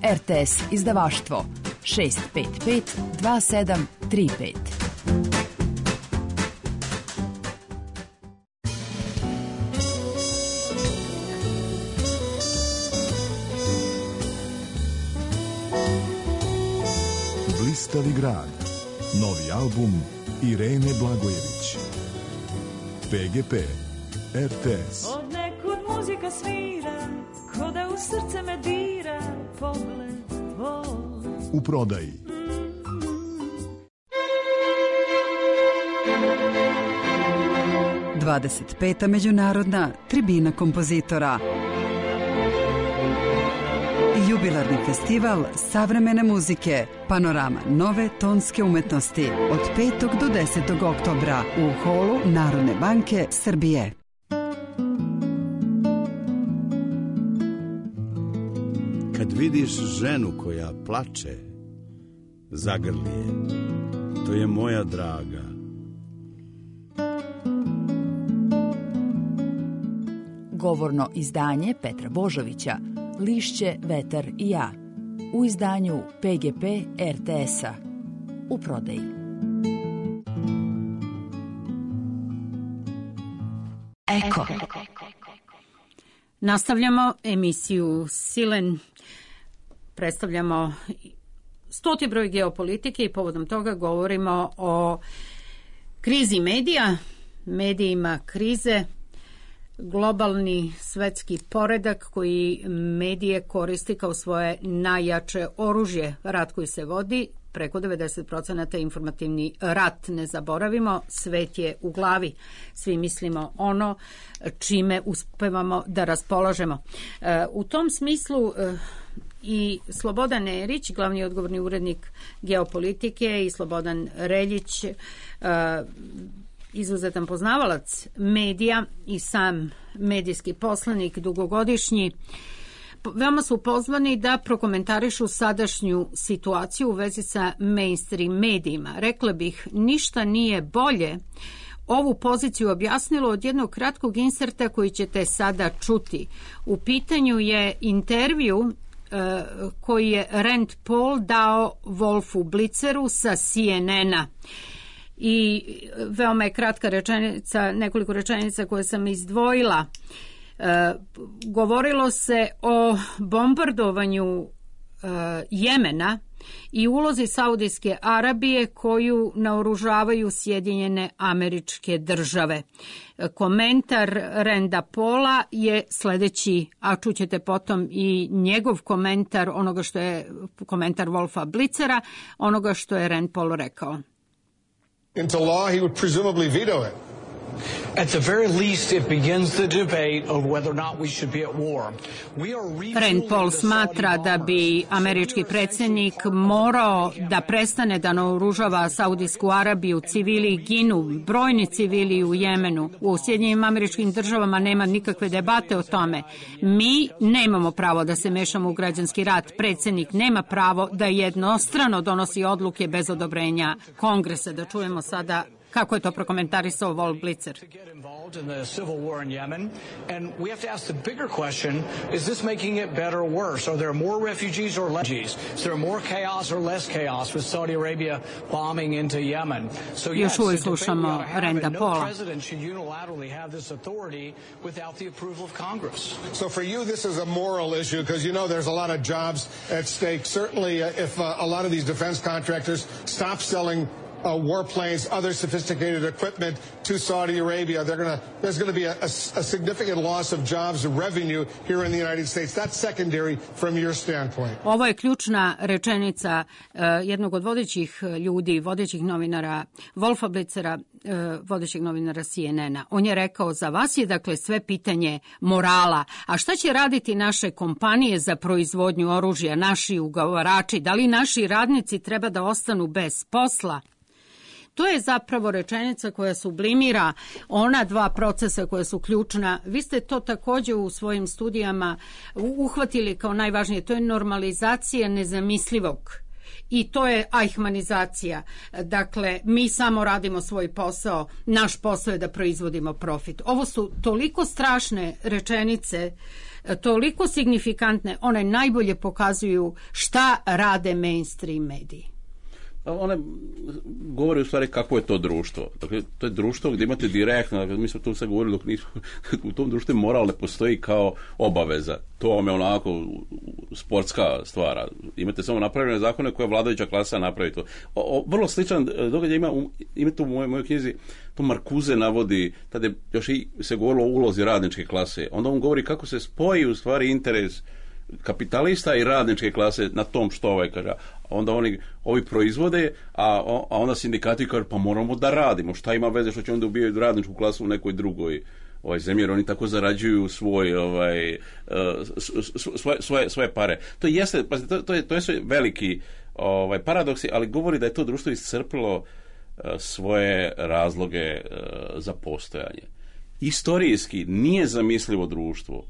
R T S izdavaštvo šest pet pet dva sedam tri pet. Blistavi grad. Novi album Irene Blagojević. P G P R T S. Od nekud muzika svira, ko da u srce me dira, pogled tvoj. U prodaji. dvadeset peta međunarodna tribina kompozitora. Jubilarni festival savremene muzike, panorama nove tonske umetnosti od petog do desetog oktobra u holu Narodne banke Srbije. Kad vidiš ženu koja plače, zagrli je. To je moja draga. Govorno izdanje Petra Božovića, Lišće, vetar i ja, u izdanju P G P R T S-a, u prodaji. Eko. Nastavljamo emisiju Silen. Predstavljamo stoti broj geopolitike i povodom toga govorimo o krizi medija, medijima krize, globalni svetski poredak koji medije koristi kao svoje najjače oružje. Rat koji se vodi, preko devedeset procenata informativni rat. Ne zaboravimo, svet je u glavi. Svi mislimo ono čime uspevamo da raspolažemo. U tom smislu i Slobodan Erić, glavni odgovorni urednik geopolitike, i Slobodan Reljić, izuzetan poznavalac medija i sam medijski poslanik dugogodišnji, veoma su pozvani da prokomentarišu sadašnju situaciju u vezi sa mainstream medijima. Rekla bih, ništa nije bolje ovu poziciju objasnilo od jednog kratkog inserta koji ćete sada čuti. U pitanju je intervju uh, koji je Rand Paul dao Wolfu Blitzeru sa C N N-a. I veoma je kratka rečenica, nekoliko rečenica koje sam izdvojila. E, govorilo se o bombardovanju e, Jemena i ulozi Saudijske Arabije koju naoružavaju Sjedinjene Američke Države. Komentar Randa Paula je sledeći, a čućete potom i njegov komentar onoga što je komentar Wolfa Blitzera, onoga što je Rand Paul rekao. Into law, he would presumably veto it. At the very least, it begins the debate of whether or not we should be at war. We are Rand Paul smatra da bi američki predsjednik morao da prestane da naoružava Saudijsku Arabiju, civili ginu, brojni civili u Jemenu. U Sjedinjenim Američkim Državama nema nikakve debate o tome. Mi nemamo pravo da se mešamo u građanski rat. Predsjednik nema pravo da jednostrano donosi odluke bez odobrenja Kongresa. Da čujemo sada kako je to prokomentarisao Wolf Blitzer. in the civil war in Yemen, and we have to ask the bigger question, is this making it better or worse? Are there more refugees or less refugees? Is there more chaos or less chaos with Saudi Arabia bombing into Yemen? So yes, Još uvijek slušamo Randa Paula. No president should unilaterally have this authority without the approval of Congress. So for you, this is a moral issue because you know there's a lot of jobs at stake. Certainly, uh, if uh, a lot of these defense contractors stop selling Uh, warplanes, other sophisticated equipment to Saudi Arabia, they're gonna, there's going to be a, a, a significant loss of jobs and revenue here in the United States. That's secondary from your standpoint. Ovo je ključna rečenica uh, jednog od vodećih ljudi, vodećih novinara, Wolfa Blitzera, uh, vodećeg novinara C N N-a. On je rekao, za vas je dakle sve pitanje morala. A šta će raditi naše kompanije za proizvodnju oružja, naši ugovarači? Da li naši radnici treba da ostanu bez posla? To je zapravo rečenica koja sublimira ona dva procesa koja su ključna. Vi ste to također u svojim studijama uhvatili kao najvažnije. To je normalizacija nezamislivog. I to je ajhmanizacija. Dakle, mi samo radimo svoj posao, naš posao je da proizvodimo profit. Ovo su toliko strašne rečenice, toliko signifikantne, one najbolje pokazuju šta rade mainstream mediji. One govori u stvari kako je to društvo. Dakle, to je društvo gdje imate direktno, dakle, mi smo tu sad govorili dok nismo, u tom društvu moral ne postoji kao obaveza. To vam je onako sportska stvara. Imate samo napravljene zakone koje vladajuća klasa napravi to. O, o, vrlo sličan događaj ima, ima tu u mojoj, mojoj knjizi, to Marcuse navodi, tada je još i se govorilo o ulozi radničke klase. Onda on govori kako se spoji u stvari interes kapitalista i radničke klase na tom što ovaj kaže. Onda oni ovi proizvode, a, a onda sindikati kažu pa moramo da radimo. Šta ima veze što će onda ubijati radničku klasu u nekoj drugoj ovaj zemlji, jer oni tako zarađuju svoj ovaj svoje svoje svoje pare. To jeste, pa to, to je to je sve veliki ovaj paradoksi, ali govori da je to društvo iscrpilo svoje razloge za postojanje. Istorijski nije zamislivo društvo.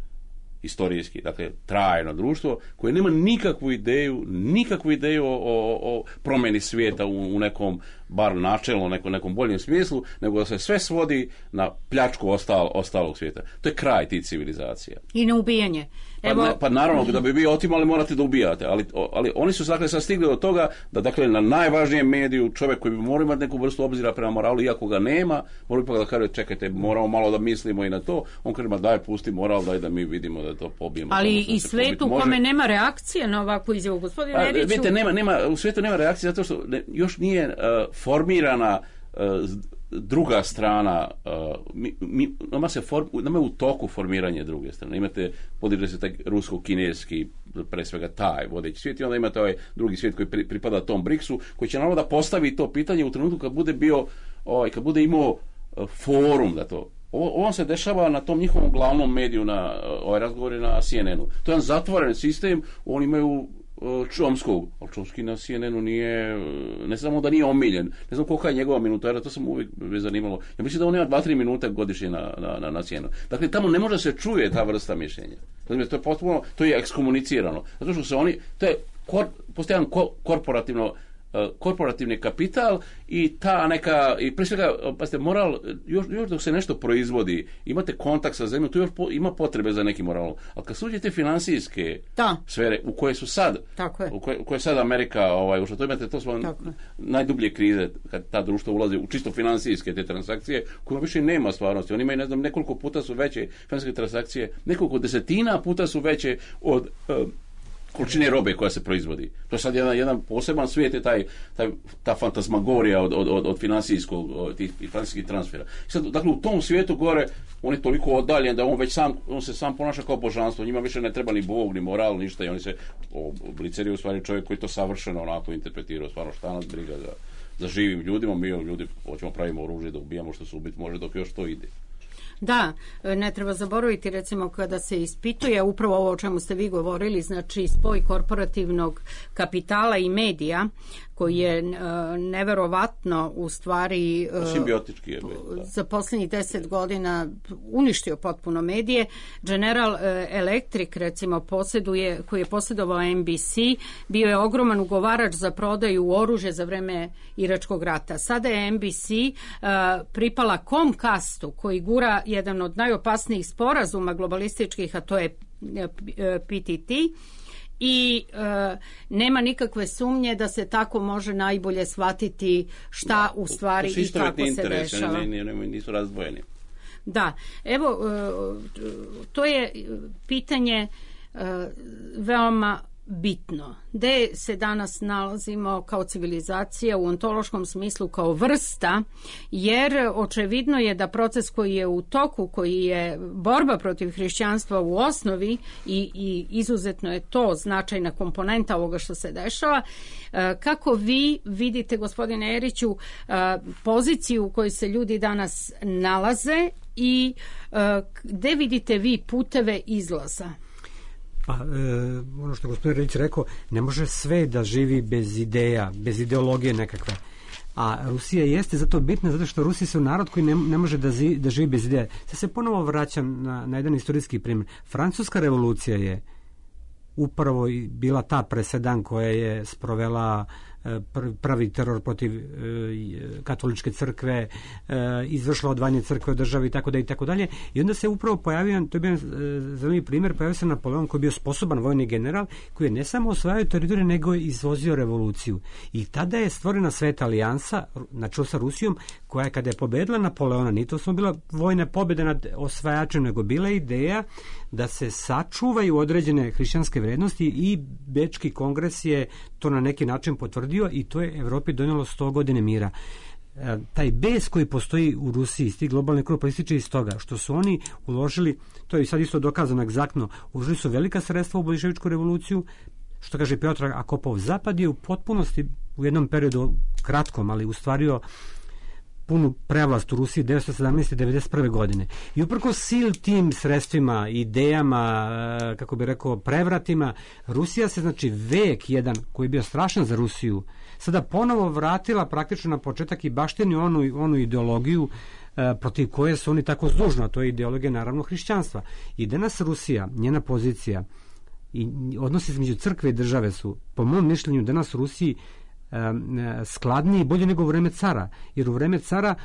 Istorijski, dakle, trajno društvo koje nema nikakvu ideju, nikakvu ideju o, o, o promjeni svijeta u, u nekom, bar načelno, nekom, nekom boljem smislu, nego da se sve svodi na pljačku ostal, ostalog svijeta. To je kraj tih civilizacija. I na ubijanje. Evo... Pa, ne, pa naravno, da bi vi otimali, morate da ubijate, ali, ali oni su dakle sad stigli do toga da dakle na najvažnijem mediju čovjek koji bi morao imati neku vrstu obzira prema moralu, iako ga nema, mora ipak da kaže, čekajte, moramo malo da mislimo i na to. On kaže, ma daj, pusti moral, daj da mi vidimo da to pobijemo. Ali i svijetu u kome nema reakcije na ovakvu izjavu, gospodin Neriću. Vidite, nema, nema, u svijetu nema reakcije zato što ne, još nije uh, formirana uh, druga strana, uh, mi, mi, nama, se form, nama je u toku formiranje druge strane. Imate, podiže se taj rusko-kineski, pre svega taj vodeći svijet, i onda imate ovaj drugi svijet koji pri, pripada tom briksu, koji će naravno da postavi to pitanje u trenutku kad bude bio, ovaj, kad bude imao uh, forum da to. Ovo, ovo se dešava na tom njihovom glavnom mediju, na ovaj razgovori na C N N-u. To je jedan zatvoren sistem, oni imaju Chomskog, ali Chomsky na C N N-u nije, ne samo da nije omiljen, ne znam kolika je njegova minutara, to sam uvijek me zanimalo. Ja mislim da on ima dva tri minuta godišnje na, na, na C N N-u. Dakle, tamo ne može se čuje ta vrsta mišljenja. Dakle, to je potpuno, to je ekskomunicirano. Zato što se oni, to je kor, postojan ko, korporativno korporativni kapital i ta neka, i prije svega, pazite, moral, još, još dok se nešto proizvodi, imate kontakt sa zemljom, tu još po, ima potrebe za neki moral. Ali kad suđete financijske da. sfere u koje su sad, u koje, u koje sad Amerika, ovaj, ušla, to imate, to su najdublje krize, kad ta društva ulaze u čisto financijske te transakcije, kojima više nema stvarnosti. Oni imaju, ne znam, nekoliko puta su veće financijske transakcije, nekoliko desetina puta su veće od uh, količine robe koja se proizvodi. To je sad jedan, jedan poseban svijet, je taj, taj, ta fantasmagorija od, od, od finansijskog, od tih financijskih transfera. I sad, dakle, u tom svijetu gore, on je toliko oddaljen da on već sam, on se sam ponaša kao božanstvo. Njima više ne treba ni Bog, ni moral, ništa. I oni se, Blicer je u stvari čovjek koji to savršeno onako interpretirao, stvarno šta nas briga za, za živim ljudima. Mi ljudi hoćemo pravimo oružje da ubijamo što se ubiti može dok još to ide. Da, ne treba zaboraviti recimo kada se ispituje upravo ovo o čemu ste vi govorili, znači spoj korporativnog kapitala i medija koji je uh, neverovatno u stvari uh, simbiotički je za posljednjih deset godina uništio potpuno medije. General uh, Electric recimo posjeduje, koji je posjedovao N B C, bio je ogroman ugovarač za prodaju oružja za vreme Iračkog rata. Sada je N B C uh, pripala Comcastu koji gura jedan od najopasnijih sporazuma globalističkih, a to je P T T. I e, nema nikakve sumnje da se tako može najbolje shvatiti šta da, u stvari i kako se dešava. Ne, ne, ne, nisu razdvojeni. Da, evo, e, to je pitanje e, veoma bitno. Gde se danas nalazimo kao civilizacija u ontološkom smislu kao vrsta, jer očevidno je da proces koji je u toku, koji je borba protiv hrišćanstva u osnovi i, i izuzetno je to značajna komponenta ovoga što se dešava. Kako vi vidite, gospodine Eriću, poziciju u kojoj se ljudi danas nalaze i gde vidite vi puteve izlaza? Pa, e, ono što je gospodin Redić rekao, ne može sve da živi bez ideja, bez ideologije nekakve. A Rusija jeste zato bitna, zato što Rusi su narod koji ne, ne može da, zi, da živi bez ideja. Sad se ponovo vraćam na, na jedan istorijski primjer. Francuska revolucija je upravo bila ta presedan koja je sprovela pravi teror protiv e, katoličke crkve, e, izvršila odvajanje crkve od države i tako da i tako dalje. I onda se upravo pojavio, to je bio e, zanimljiv primjer, pojavio se Napoleon koji je bio sposoban vojni general, koji je ne samo osvajao teritoriju, nego je izvozio revoluciju. I tada je stvorena Sveta alijansa na čelu sa Rusijom, koja je kada je pobedila Napoleona, nije to samo bila vojna pobjeda nad osvajačem, nego bila ideja da se sačuvaju određene hrišćanske vrednosti i Bečki kongres je to na neki način potvrdio i to je Evropi donijelo sto godine mira. E, taj bes koji postoji u Rusiji, sti globalni krug proističe iz toga što su oni uložili, to je sad isto dokazano egzaktno, uložili su velika sredstva u bolševičku revoluciju, što kaže Piotr Akopov, Zapad je u potpunosti u jednom periodu kratkom, ali ustvario punu prevlast u Rusiji devetsto sedamnaeste. devedeset prve. godine. I uprkos sil tim sredstvima, idejama, kako bi rekao, prevratima, Rusija se, znači, vek jedan, koji je bio strašan za Rusiju, sada ponovo vratila praktično na početak i baštini onu, onu ideologiju e, protiv koje su oni tako zdužno, a to je ideologija, naravno, hrišćanstva. I danas Rusija, njena pozicija i odnosi između crkve i države su, po mom mišljenju, danas u Rusiji skladniji i bolje nego u vreme cara, jer u vreme cara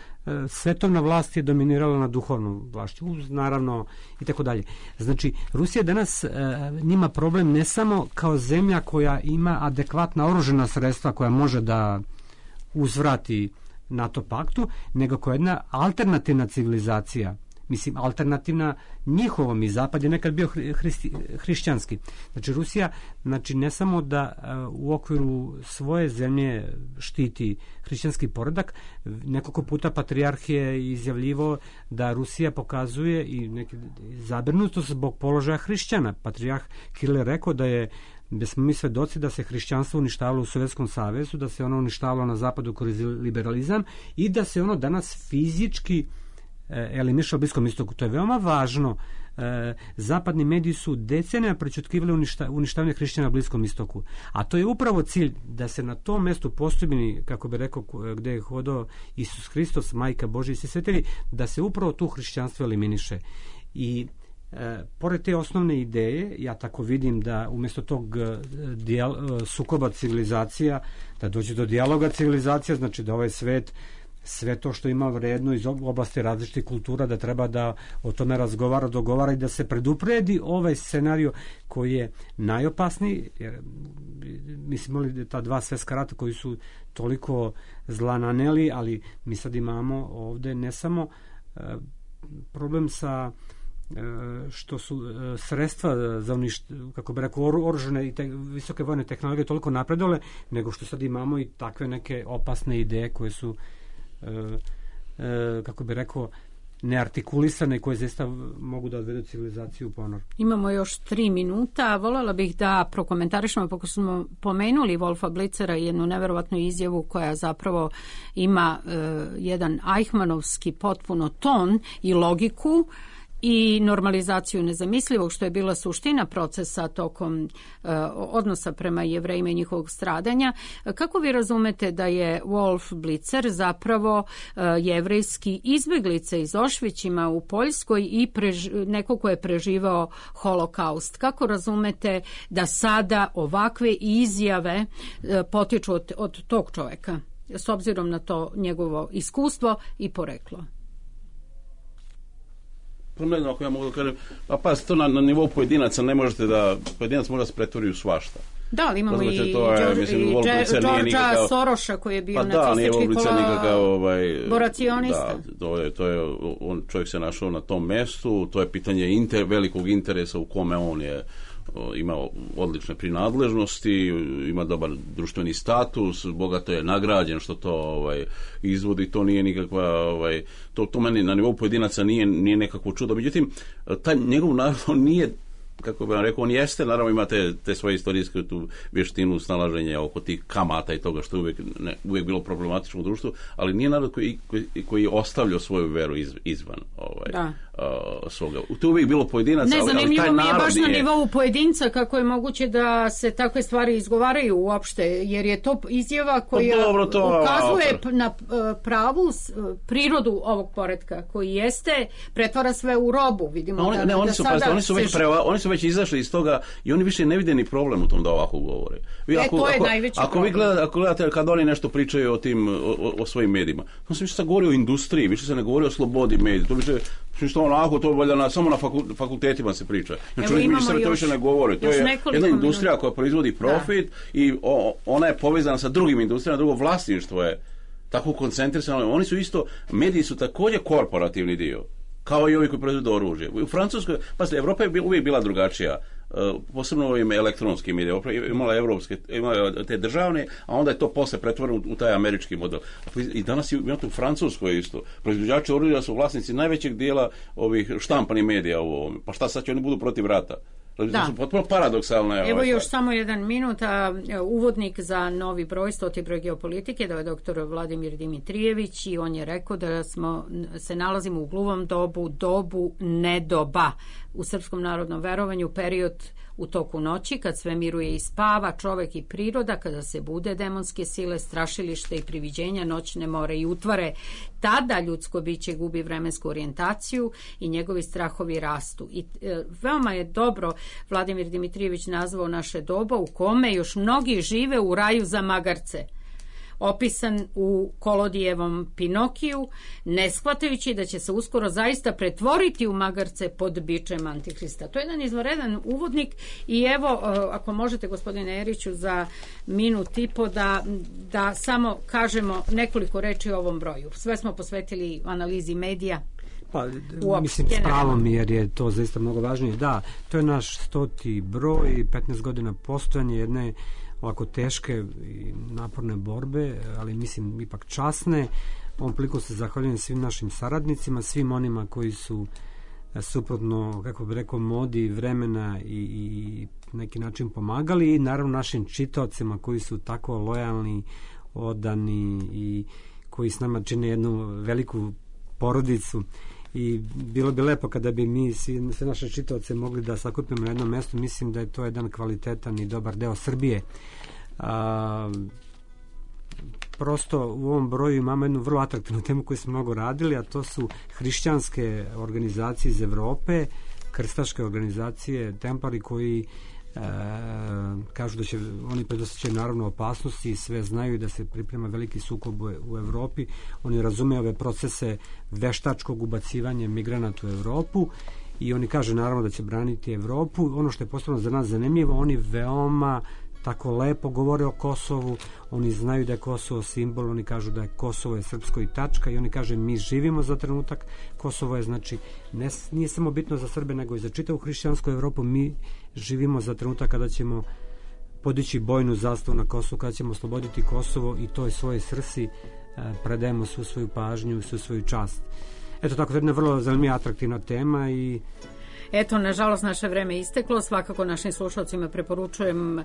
svetovna vlast je dominirala na duhovnom vlašću, naravno i tako dalje. Znači, Rusija danas njima problem ne samo kao zemlja koja ima adekvatna oružana sredstva koja može da uzvrati NATO paktu, nego koja je jedna alternativna civilizacija. Mislim, alternativna njihovom, i Zapad je nekad bio hristi, hrišćanski. Znači, Rusija, znači, ne samo da uh, u okviru svoje zemlje štiti hrišćanski poredak, nekoliko puta patrijarh je izjavljivo da Rusija pokazuje i neki zabrinutost zbog položaja hrišćana. Patrijarh Kiril je rekao da je da smo mi svedoci da se hrišćanstvo uništavalo u Sovjetskom savezu, da se ono uništavalo na zapadu kroz liberalizam i da se ono danas fizički eliminiše u Bliskom istoku. To je veoma važno. E, zapadni mediji su decenija prećutkivali uništa, uništavanje hrišćana na Bliskom istoku. A to je upravo cilj da se na tom mestu postojbini, kako bi rekao, gde je hodao Isus Hristos, Majka Božja i svi svetili, da se upravo tu hrišćanstvo eliminiše. I e, pored te osnovne ideje, ja tako vidim da umjesto tog dijal, sukoba civilizacija, da dođe do dijaloga civilizacija, znači da ovaj svet sve to što ima vredno iz oblasti različitih kultura, da treba da o tome razgovara, dogovara i da se predupredi ovaj scenario koji je najopasniji, jer mi smo imali ta dva svetska rata koji su toliko zla naneli, ali mi sad imamo ovde ne samo uh, problem sa što su sredstva za uništ, kako bi rekao, oružane i te, visoke vojne tehnologije toliko napredole, nego što sad imamo i takve neke opasne ideje koje su e, e, kako bi rekao neartikulisane, koje zaista mogu da odvedu civilizaciju u ponor. Imamo još tri minuta. Voljela bih da prokomentarišemo, pošto smo pomenuli Wolfa Blitzera, jednu neverovatnu izjavu koja zapravo ima e, jedan Eichmannovski potpuno ton i logiku i normalizaciju nezamislivog, što je bila suština procesa tokom uh, odnosa prema Jevrejima i njihovog stradanja. Kako vi razumete da je Wolf Blitzer zapravo uh, jevrejski izbeglice iz Auschwitzima u Poljskoj i prež, neko ko je preživao holokaust? Kako razumete da sada ovakve izjave uh, potiču od, od tog čoveka, s obzirom na to njegovo iskustvo i poreklo? Pa ne znam ako ja mogu da kažem, pa pas, to na, na nivou pojedinaca ne možete da, pojedinac može da se pretvori u svašta. Da, ali imamo Razumete, i, to je, George, mislim, i Georgea nikakav, Soroša koji je bio pa da, nacistički kolaboracionista. ovaj, Da, to je, to je, on, čovjek se našao na tom mestu, to je pitanje inter, velikog interesa u kome on je ima odlične prinadležnosti, ima dobar društveni status, bogato je nagrađen što to ovaj izvodi, to nije nikakva ovaj to to meni na nivou pojedinaca nije nije nekakvo čudo. Međutim, taj njegov narod nije, kako bih vam rekao, on jeste, naravno ima te, te svoje istorijske tu vještinu snalaženja oko tih kamata i toga što je uvijek, ne, uvijek bilo problematično u društvu, ali nije narod koji, koji, koji je ostavljao svoju veru iz, izvan ovaj, uh, svoga. To je uvijek bilo pojedinaca, ne, ali, ali taj narod mi je baš nije... na nivou pojedinca kako je moguće da se takve stvari izgovaraju uopšte, jer je to izjava koja pa dobro, to, ukazuje a, na pravu prirodu ovog poretka koji jeste, pretvara sve u robu. Vidimo oni, da, ne, oni da su, sada pa, oni su već se... preva, oni su već izašli iz toga i oni više ne vide ni problem u tom da ovako govore. Vi, e, ako, to je ako, najveći ako problem. vi gledate, ako gledate kad oni nešto pričaju o tim o, o svojim medijima, to se više sad govori o industriji, više se ne govori o slobodi medija. To više što onako to valjda na samo na fakultetima se priča. Znači oni ministri to više ne govore. To je jedna industrija minuta. koja proizvodi profit da. i o, ona je povezana sa drugim industrijama, drugo vlasništvo je tako koncentrisano. Oni su isto, mediji su također korporativni dio, kao i ovi koji proizvode oružje. U Francuskoj, pa se Evropa je uvijek bila drugačija. Uh, posebno ovim elektronskim medijima, imala evropske, imala te državne, a onda je to posle pretvoreno u, u taj američki model. I danas imate u Francuskoj isto. Proizvođači oružja su vlasnici najvećeg dijela ovih štampanih medija u ovome. Pa šta sad će oni budu protiv rata? Da. Su potpuno paradoksalne. Evo ovaj još stvar. samo jedan minut, a uvodnik za novi broj, stoti broj geopolitike, da je doktor Vladimir Dimitrijević i on je rekao da smo se nalazimo u gluvom dobu, dobu nedoba u srpskom narodnom verovanju, period u toku noći, kad sve miruje i spava, čovek i priroda, kada se bude demonske sile, strašilište i priviđenja, noćne more i utvare, tada ljudsko biće gubi vremensku orijentaciju i njegovi strahovi rastu. I e, veoma je dobro Vladimir Dimitrijević nazvao naše doba u kome još mnogi žive u raju za magarce, opisan u Kolodijevom Pinokiju, ne shvatajući da će se uskoro zaista pretvoriti u magarce pod bičem Antihrista. To je jedan izvanredan uvodnik i evo, ako možete, gospodine Eriću, za minut i po da, da samo kažemo nekoliko reči o ovom broju. Sve smo posvetili analizi medija. Pa, mislim, s pravom, jer je to zaista mnogo važnije. Da, to je naš stoti broj, petnaest godina postojanja jedne ovako teške i naporne borbe, ali mislim ipak časne. Ovom priliku se zahvaljujem svim našim saradnicima, svim onima koji su suprotno, kako bih rekao, modi vremena i, i neki način pomagali i naravno našim čitaocima koji su tako lojalni, odani i koji s nama čine jednu veliku porodicu. I bilo bi lepo kada bi mi svi, sve naše čitaoce mogli da sakupimo na jednom mjestu. Mislim da je to jedan kvalitetan i dobar deo Srbije. A, prosto u ovom broju imamo jednu vrlo atraktivnu temu koju smo mnogo radili, a to su hrišćanske organizacije iz Evrope, krstaške organizacije, templari koji E, kažu da će oni predosjećaju naravno opasnosti i sve znaju da se priprema veliki sukob u, u Evropi. Oni razumeju ove procese veštačkog ubacivanja migranata u Evropu i oni kažu naravno da će braniti Evropu. Ono što je posebno za nas zanimljivo, oni veoma tako lepo govore o Kosovu, oni znaju da je Kosovo simbol, oni kažu da je Kosovo je srpsko i tačka i oni kaže mi živimo za trenutak, Kosovo je znači ne, nije samo bitno za Srbe nego i za čitavu hrišćansku Evropu, mi živimo za trenutak kada ćemo podići bojnu zastavu na Kosovu, kada ćemo osloboditi Kosovo i toj svojoj srsi predajemo svu svoju pažnju, svu svoju čast. Eto tako, to je jedna vrlo zanimljiva, atraktivna tema i eto, nažalost, naše vreme isteklo. Svakako našim slušalcima preporučujem uh,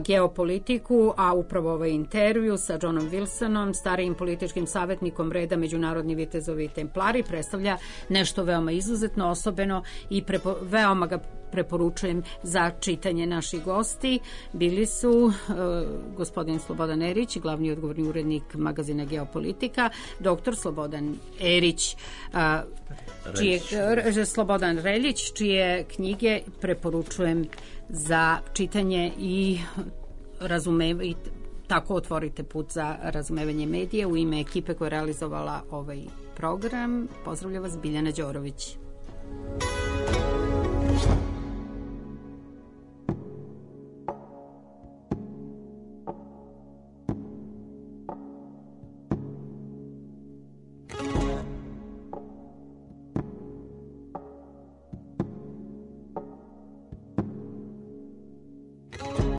Geopolitiku, a upravo ovaj intervju sa Johnom Wilsonom, starijim političkim savjetnikom reda Međunarodni vitezovi i templari, predstavlja nešto veoma izuzetno, osobeno i prepo, veoma ga preporučujem za čitanje. Naših gosti bili su uh, gospodin Slobodan Erić, glavni odgovorni urednik magazina Geopolitika, doktor Slobodan Erić, uh, čije, uh, Slobodan Reljić, čije knjige preporučujem za čitanje i razumevanje, tako otvorite put za razumevanje medija. U ime ekipe koja je realizovala ovaj program, pozdravlja vas Biljana Đorović.